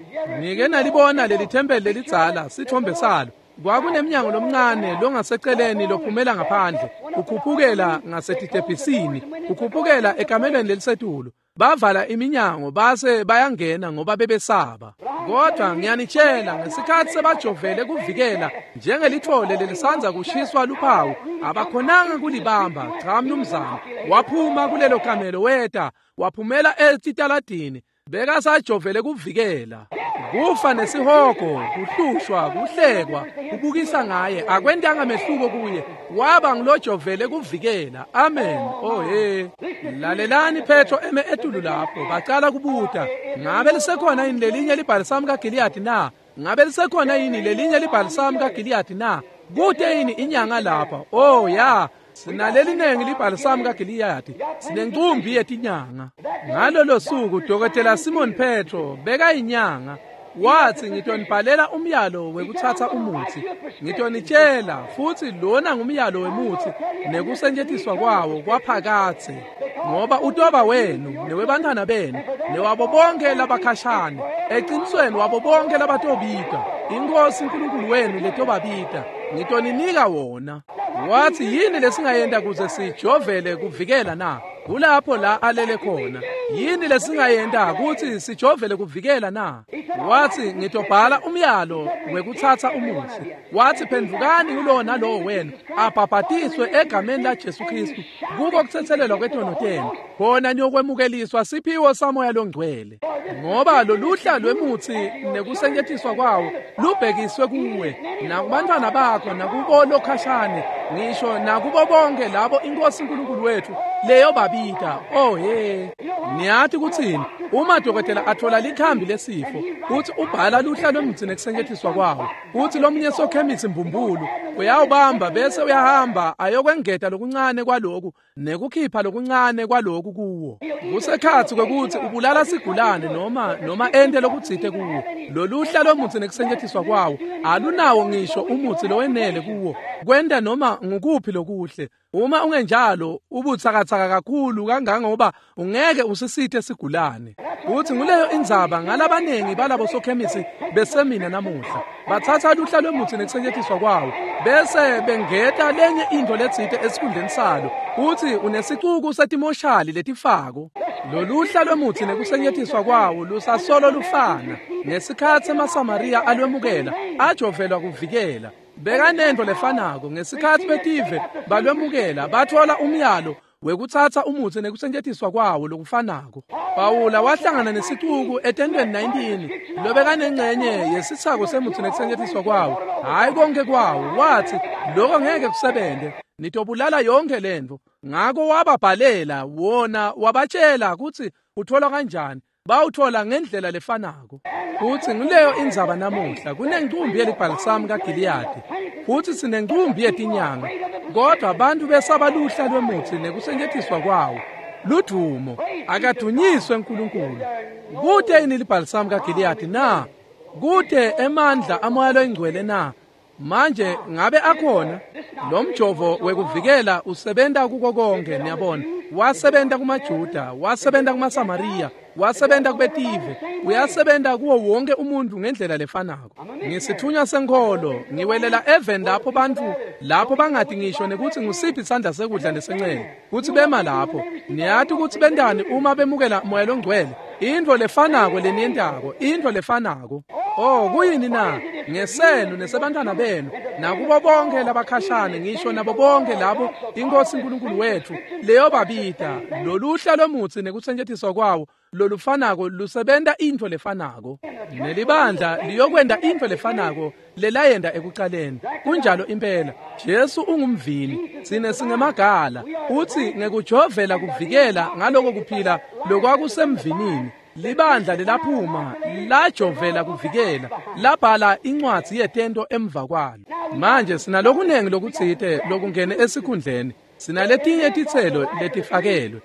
Nike nalibona leli thempeli lelidzala, sithombe salo. Kwakunemnyango lomncane longaseceleni lophumela ngaphandle, ukhuphukela ngasetitebhisini, ukhuphukela ekamelweni lelisetulu. Bavala iminyango base bayangena ngoba bebesaba. Kodwa ngiyanitshela, ngesikhathi sebajovele kuvikela njengelithole lelisanza kushiswa luphawu, abakhonanga kulibamba. Cha mnumzane, waphuma kulelo kamelo weta, waphumela etitaladini, bekasajovele kuvikela. Kufa nesihogo, kuhlushwa, kuhlekwa, kubukisa ngaye, akwentanga mehluko kuye, waba ngilojovele kuvikela. Amen. Oh he. Lalelani Petro eme etulu lapho, bacala kubuta, ngabe lisekhona yini lelinye libhalisamu kaGiliyadi na? Ngabe lisekhona yini lelinye libhalisamu kaGiliyadi na? Kute yini inyanga lapha? Oh ya. Sinalelinengi libhalisamu kaGiliyadi, sinencumbi yetinyanga. Ngalolo suku Dokotela Simon Petro bekayinyanga, wathi, ngitonibhalela umyalo wekuthatha umuthi, ngitonitshela futhi lona ngumyalo wemuthi nekusetjentiswa kwawo kwaphakathe, ngoba utoba wenu newebantwana benu newabo bonke labakhashane, eqinisweni wabo bonke labatobika iNkosi uNkulunkulu wenu letobabita, ngitoninika wona. Wathi, yini lesingayenta kuze sijovele kuvikela na? Kulapho la alele khona. Yini lesingayenta kuthi sijovele kuvikela na? Wathi, ngitobhala umyalo wekuthatha umuthi. Wathi, phendvukani kulowo nalowo wenu abhabhatiswe egameni la Jesu Kristu kuko kuthethelelwa kwetono tenu, khona niyokwemukeliswa siphiwo samoya longcwele. Ngoba loluhla lwemuthi nekusetjentiswa kwawo lubhekiswe kuwe nakubantwana bakho nakubo lokhashane, ngisho nakubo bonke labo iNkosi uNkulunkulu wethu leyo babita. Oh he. Niyathi kuthini? Uma dokotela athola likhambi lesifo, uthi ubhala luhla lwemutsi nekusetjentiswa kwawo, uthi lomunye sokhemisi mbumbulu uyawubamba bese uyahamba ayokwengeta lokuncane kwaloku nekukhipha lokuncane kwaloku kuwo. Kusekhatsi kwekuthi ubulala sigulane noma noma ente lokutsite kuwo. Loluhla lwemutsi nekusetjentiswa kwawo alunawo ngisho umutsi lowenele kuwo kwenta noma ngukuphi lokuhle. Uma ungenjalo ubutsakatsaka kakhulu kangangoba ungeke usisithe sigulane. Uthi nguleyo indzaba ngalabanengi balabo sokhemisi besemina namuhla. Bathatha luhla lwemuthi nekusetjentiswa kwawo bese bengeta lenye into letsite esikhundleni salo. Uthi unesicuku setimoshali letifako. Loluhla lwemuthi nekusetjentiswa kwawo lusasolo lufana. Ngesikhatsi emaSamariya alwemukela ajovelwa kuvikela. Bekanento lefanako ngesikhatsi betive balwemukela bathola umyalo wekutsatsa umutsi nekusetjentiswa kwawo lokufanako. Pawula wahlangana nesicuku etentweni nineteen lobekanengcenye yesitsako semutsi nekusetjentiswa kwawo, hhayi konke kwawo. Wathi lokho ngeke kusebente, nitobulala yonke lento. Ngako wababhalela wona wabatshela kutsi uthola kanjani. Bawuthola ngendlela lefanako. Futhi nguleyo indzaba namuhla. Kunencumbi yelibhalisamu kaGiliyadi futhi sinencumbi yetinyanga, kodwa abantu besaba luhla lwemutsi nekusetjentiswa kwawo. Ludumo akadunyiswe uNkulunkulu. Kute yini libhalisamu kaGiliyadi na? Kute emandla amoya loyingcwele na? Manje ngabe akhona? Lo mjovo wekuvikela usebenta kuko konke, niyabona. Wasebenta kumaJuda, wasebenta kumaSamariya, wasebenta kubetive, uyasebenta kuwo wonke umuntu ngendlela lefanako. Ngisithunywa senkholo, ngiwelela even lapho bantu lapho bangati ngisho nekuthi ngusiphi isandla sekudla nesencele, kuthi bema lapho. Niyati ukuthi bentani uma bemukela moya longcwele? Into lefanako leniyentako, into lefanako. Oh, kuyini na? Ngesenu nesebantwana benu nakubo bonke labakhashane, ngisho nabo bonke labo inkosi uNkulunkulu wethu leyo babita. Loluhla lomutsi nekusetjentiswa kwawo lolufanako lusebenta into lefanako. Nelibandla liyokwenta into lefanako lelayenda ekucaleni. Kunjalo impela. Jesu ungumvini, sine singemagala. Uthi ngekujovela kuvikela ngaloko kuphila lokwakusemvinini. Libandla lelaphuma lajovela kuvikela, labhala incwadzi yetento emva kwalo. Manje sinalokunengi lokutsite lokungene esikhundleni. Sinaletinye titselo letifakelwe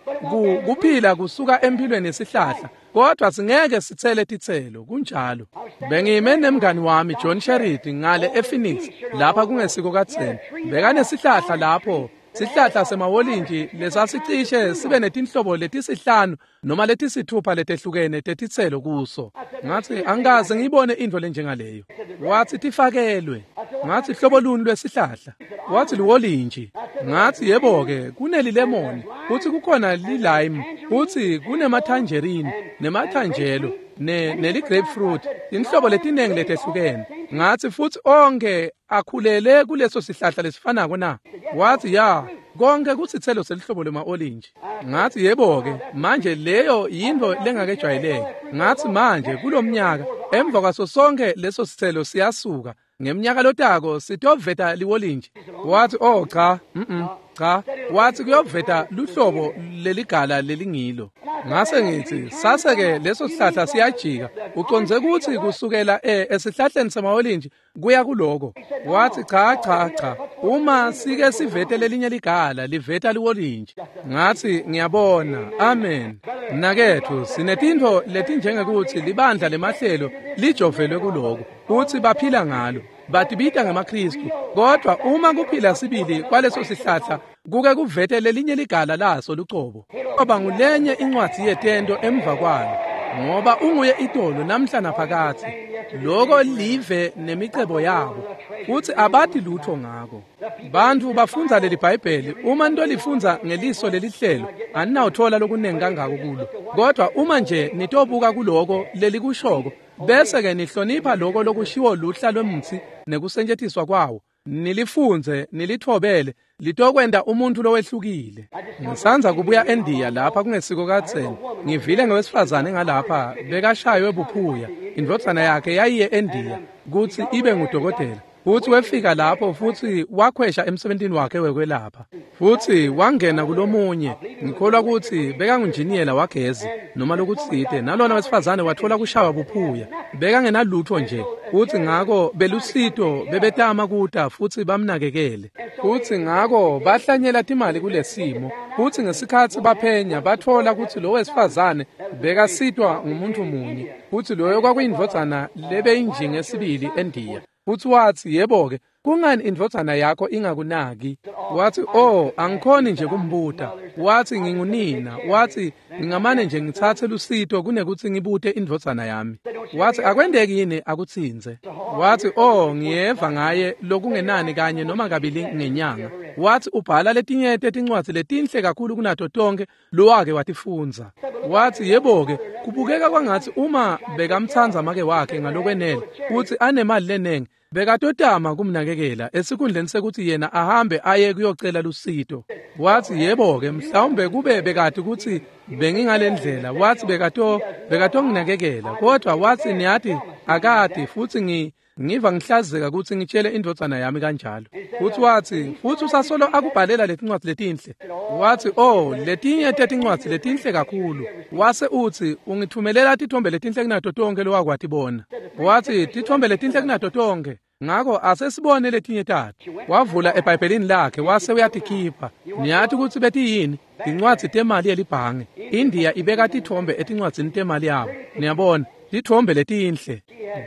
kuphila kusuka empilweni yesihlahla, kodwa singeke sitsele titselo. Kunjalo. Bengime nemngani wami John Sheridi ngale ePhoenix lapha kungesiko kadzeni. Bekanesihlahla lapho, sihlahla semawolintshi lesasicishe sibe netinhlobo letisihlanu noma letisithupha letehlukene tetitselo kuso. Ngathi angikaze ngiyibone into lenjengaleyo. Wathi tifakelwe. Ngathi hlobo luni lwesihlahla? Wathi liwolintshi. Ngathi yebo-ke kunelilemoni, futhi kukhona lilime, futhi kunematangerine nematangelo ne neli-grapefruit, tinhlobo letinengi letehlukene. Ngathi futhi onke akhulele kuleso sihlahla lesifanako na? Wathi ya, konke kusithelo selihlobo lema-olintshi. Ngathi yebo-ke manje leyo yinto lengakejwayeleki. Ngathi manje kulomnyaka emva kwaso sonke leso sithelo siyasuka, ngemnyaka lotako sitoveta liwolintshi. Wathi oh cha, mm cha. Wathi kuyoveta luhlobo leligala lelingilo. Ngase ngithi sase-ke leso sihlahla siyajika, uconze ukuthi kusukela e esihlahleni semawolintshi kuya kuloko. Wathi cha cha cha, uma sike sivete lelinye ligala liveta liwolintshi. Ngathi ngiyabona. Amen. Mnaketfu, sinetintfo letinjengekuthi libandla lemahlelo lijovelwe kuloko, kutsi baphila ngalo, batibita ngemaKristu, kodwa uma kuphila sibili kwaleso sihlahla kuke kuvete lelinye ligala laso lucobo, ngoba ngulenye incwadzi yetento emva kwalo, ngoba unguye itolo namhla naphakathe. Loko live nemicebo yabo, futhi abati lutho ngako. Bantu bafundza leli Bhayibheli, uma nitolifundza ngeliso lelihlelo aninawuthola lokunengi kangako kulo, kodwa uma nje nitobuka kuloko lelikushoko bese-ke nihlonipha loko lokushiwo luhla lwemutsi nekusetjentiswa kwawo, nilifundze nilithobele, litokwenta umuntu lowehlukile. Ngisandza kubuya eNdiya lapha kungesiko kadzeni. Ngivile ngewesifazane ngalapha bekashaywe buphuya. Indvodzana yakhe yayiye eNdiya kutsi ibe ngudokotela. Futhi wefika lapho futhi wakhwesha emsebentini wakhe wekwelapha. Futhi wangena kulomunye, ngikholwa ukuthi bekangunjiniyela wagezi noma lokutsite, nalona wesifazane wathola kushawa buphuya. Bekangenalutho nje. Futhi ngako belusito bebetama kuta futhi bamnakekele. Futhi ngako bahlanyela timali kulesimo. Futhi ngesikhatsi baphenya bathola ukuthi lo wesifazane bekasitwa ngumuntu munye, futhi loyo kwakuyindvodzana lebeyinjinge sibili eNdiya. Futsi watsi, yebo-ke, kungani indvodzana yakho ingakunaki? Watsi, oh, angikhoni nje kumbuta. Watsi, ngingunina. Watsi, ngingamane nje ngitsatse lusito kunekutsi ngibute indvodzana yami. Watsi, akwenteki yini akutsinze? Watsi, oh, ngiyeva ngaye lokungenani kanye noma kabili ngenyanga. Watsi, ubhala letinye tetincwadzi letinhle kakhulu kunato tonkhe lowake watifundza. Watsi, yebo-ke, kubukeka kwangatsi uma bekamtsandza make wakhe ngalokwenele kutsi anemali lenengi, bekatotama kumnakekela esikhundleni sekuthi yena ahambe aye kuyocela lusito. Watsi, yebo-ke, mhlawumbe kube bekati kutsi bengingalendlela. Watsi bekato bekatonginakekela, kodwa watsi niyati akati, futsi ngi ngiva ngihlazeka kutsi ngitshele indvodzana yami kanjalo. Futsi watsi, futsi usasolo akubhalela letincwadzi letinhle. Watsi, oh, letinye tetincwadzi letinhle kakhulu. Wase utsi, ungitfumelela titfombe letinhle kunato tonkhe lowakwatibona. Watsi, titfombe letinhle kunato tonkhe. Ngako asesibone letinye tato. Wavula eBhayibhelini lakhe wase uyatikhipha. Niyati kutsi betiyini? Tincwadzi temali yelibhange. India ibeka titfombe etincwadzini temali yabo. Niyabona, titfombe letinhle.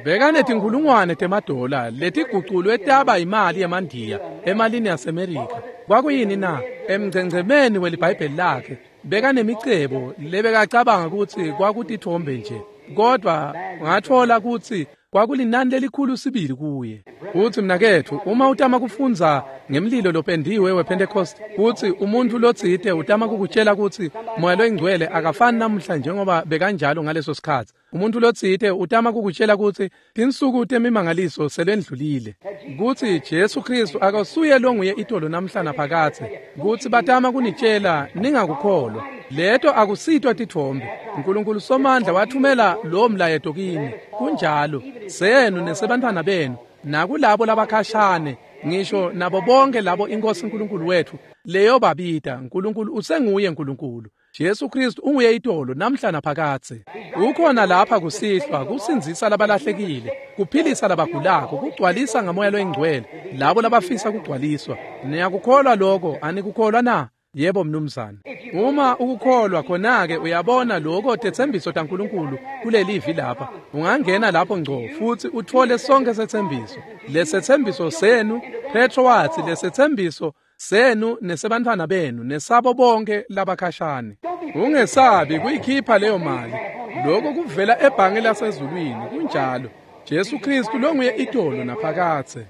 Bekanetinkhulungwane temadola letiguculwe taba imali yemandiya emalini yaseMerika. Kwakuyini na? Emngcengcemeni weliBhayibheli lakhe bekanemicebo lebekacabanga kutsi kwakutitfombe nje, kodwa ngatfola kutsi kwakulinani lelikhulu sibili kuye. Utsi, mnaketfu, uma utama kufundza ngemlilo lopendiwe wePentecost, kutsi umuntfu lotsite utama kukutshela kutsi Moya loyiNgcwele akafani namuhla njengoba bekanjalo ngaleso sikhatsi. Umuntfu lotsite utama kukutshela kutsi tinsuku temimangaliso selendlulile, kutsi Jesu Kristu akasuye longuye itolo namhla naphakadze, kutsi batama kunitshela ningakukholwa. Leto akusitwa titfombe. Nkulunkulu Somandla wathumela lo mlayeto kini. Kunjalo, senu nesebantfwana benu, nakulabo labakhashane, ngisho nabo bonke labo iNkosi Nkulunkulu wethu leyo babita. Nkulunkulu usenguye Nkulunkulu. Jesu Kristu unguye itolo namhla naphakadze. Ukhona lapha kusihlwa kusindzisa labalahlekile, kuphilisa labagulako, kugcwalisa ngaMoya loyiNgcwele labo labafisa kugcwaliswa. Niyakukholwa lokho? Anikukholwa na? Yebo mnumzane. Uma ukukholwa khona-ke uyabona lokho tetsembiso taNkulunkulu kulelivi lapha. Ungangena lapho ngco futsi utfole sonke setsembiso. Lesetsembiso senu, Petro watsi, lesetsembiso senu nesebantfwana benu nesabo bonke labakhashane. Ungesabi kuyikhipha leyo mali. Lokho kuvela ebhange lasezulwini. Kunjalo. Jesu Kristu longuye itolo naphakadze.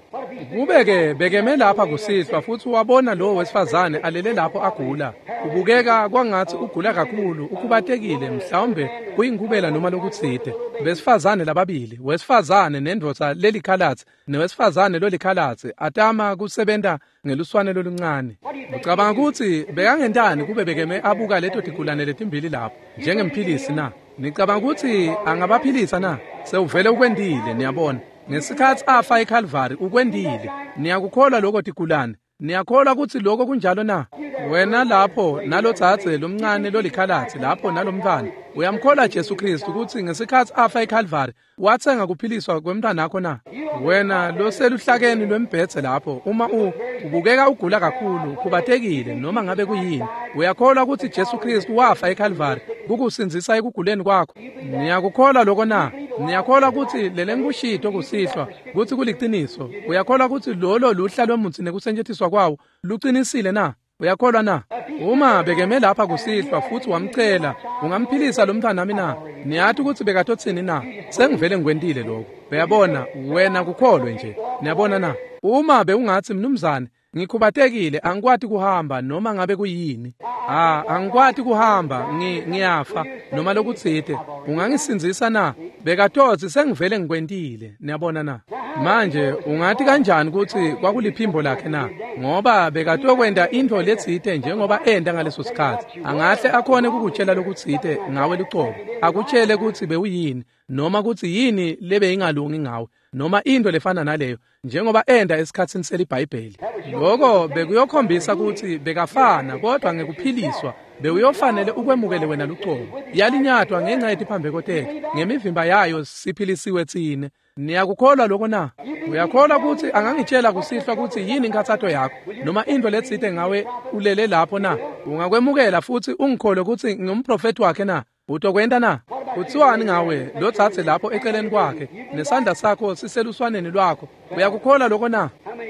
Kube-ke bekeme lapha kusihlwa futsi wabona lowo wesifazane alele lapho agula. Ubukeka kwangatsi ugula kakhulu, ukhubatekile, mhlawumbe kuyinkubela noma lokutsite. Besifazane lababili, wesifazane nendvodza lelikhalatsi newesifazane lolikhalatsi atama kusebenta ngeluswane loluncane. Ucabanga kutsi bekangentani kube bekeme abuka leto tigulane letimbili lapho njengemphilisi na? Nicabanga kutsi angabaphilisa na? Sewuvele ukwentile, niyabona. Ngesikhatsi afa eKalvari ukwentile. Niyakukholwa lokho tigulane? Niyakholwa kutsi lokho kunjalo na? Wena lapho nalotsatse lomncane lolikhalatsi lapho nalomntfwana, uyamkholwa Jesu Kristu kutsi ngesikhatsi afa eKalvari watsenga kuphiliswa kwemntfwanakho na? Wena loseluhlakeni lwembhedze lapho, uma u ubukeka ugula kakhulu, ukhubatekile noma ngabe kuyini, uyakholwa kutsi Jesu Kristu wafa eKalvari kukusindzisa ekuguleni kwakho? Niyakukholwa lokho na? Niyakholwa kutsi lelengikushito kusihlwa kutsi kuliciniso? Uyakholwa kutsi lolo luhla lwemutsi nekusetjentiswa kwawo lucinisile na? Uyakholwa na? Uma bekeme lapha kusihlwa futsi wamcela, ungamphilisa lo mntfwanami na? Niyati kutsi bekatotsini na? Sengivele ngikwentile lokho. Uyabona, wena kukholwe nje. Niyabona na? Uma bewungatsi, mnumzane, ngikhubatekile, angikwati kuhamba noma ngabe kuyini. Ah, angikwati kuhamba, ngi ngiyafa noma lokutsite. Ungangisindzisa na? Bekatotsi sengivele ngikwentile. Niyabona na? Manje ungati kanjani kutsi kwakuliphimbo lakhe na? Ngoba bekatokwenta intfo letsite njengoba enta ngaleso sikhatsi. Angahle akhone kukutshela lokutsite ngawe lucobo. Akutshele kutsi bewuyini noma kutsi yini lebeyingalungi ngawe, noma into lefana naleyo, njengoba enda esikhatsini seliBhayibheli. Lokho bekuyokhombisa kutsi bekafana, kodwa ngekuphiliswa bewuyofanele ukwemukele wena lucobo. Yalinyatwa ngenxa yetiphambeko tetfu, ngemivimba yayo siphilisiwe tsine. Niyakukholwa lokho na? Uyakholwa kutsi angangitshela kusihlwa kutsi yini inkhatsato yakho noma into letsite ngawe ulele lapho na? Ungakwemukela futsi ungikholwe kutsi ngingumprofethi wakhe na? Utokwenta na? Kutsiwani ngawe lotsatse lapho eceleni kwakhe nesandla sakho siseluswaneni lwakho? Uyakukholwa lokho na?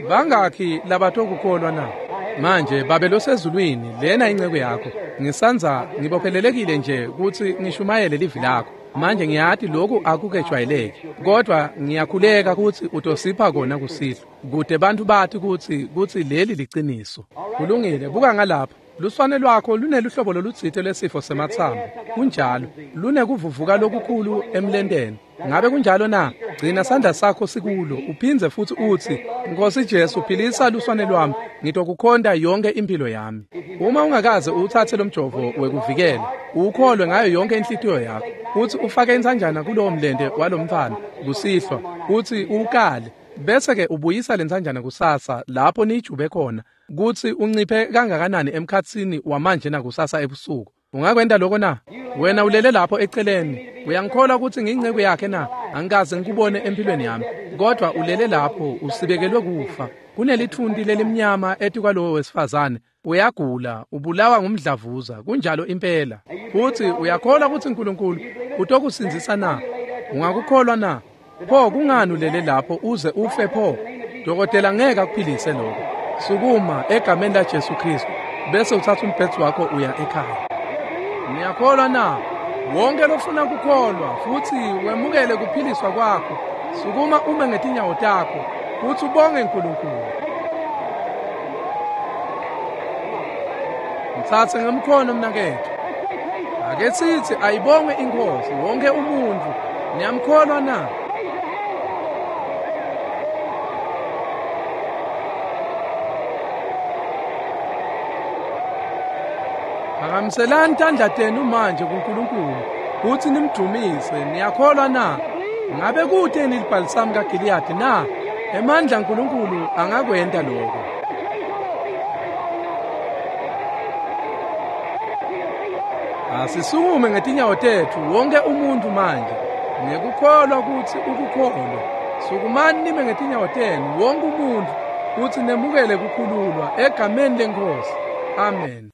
Bangakhi labatokukholwa na? Manje Babe losezulwini, lena inceku yakho. Ngisandza ngibophelelekile nje kutsi ngishumayele livi lakho. Manje ngiyati lokhu akukejwayeleki, kodwa ngiyakhuleka kutsi utosipha kona kusihlwa, kute bantfu bati kutsi kutsi leli liciniso. Kulungile, buka ngalapha. Luswane lwakho luneluhlobo lolutsite lwesifo sematsambo. Kunjalo, lunekuvuvuka lokukhulu emlenteni. Ngabe kunjalo na? Gcina sandla sakho sikulo, uphindze futsi utsi, Nkosi Jesu, philisa luswane lwami, ngitokukhonta yonke impilo yami. Uma ungakaze uwutsatse lomjovo wekuvikela, uwukholwe ngayo yonke inhlitiyo yakho, utsi ufake intsanjana kulowo mlente walomntfwana kusihlwa, utsi uwukale, bese-ke ubuyisa lentsanjana kusasa lapho niyijube khona, kutsi unciphe kangakanani emkhatsini wamanje nakusasa ebusuku. Ungakwenta lokho na? Wena ulele lapho eceleni. Uyangikholwa kutsi ngiyinceku yakhe na? Angikaze ngikubone empilweni yami, kodwa ulele lapho usibekelwe kufa. Kunelithunti lelimnyama etikwalowo wesifazane. Uyagula, ubulawa ngumdlavuza. Kunjalo impela. Futsi uyakholwa kutsi uNkulunkulu utokusindzisa na? Ungakukholwa na? Pho kungani ulele lapho uze ufe pho? Dokotela ngeke akuphilise lokho. Sukuma egameni la Jesu Kristu, bese uthatha umbhedze wakho uya ekhaya. Niyakholwa na? Wonke lofuna kukholwa futsi wemukele kuphiliswa kwakho, sukuma ume ngetinyawo takho futsi ubonge uNkulunkulu. Mtsatse ngemkhono mnaketfu. Ake sithi ayibongwe iNkhosi wonke umuntu. Niyamkholwa na? Phakamiselani tandla tenu manje kuNkulunkulu kutsi nimdumise. Niyakholwa na? Ngabe kute nilibhalisamu kaGiliyadi na? Emandla aNkulunkulu angakwenta lokho. Asisukume ngetinyawo tetfu wonke umuntu manje ngekukholwa kutsi ukukholwa. Sukumani nime ngetinyawo tenu wonke umuntu kutsi nemukele kukhululwa egameni leNkhosi. Amen.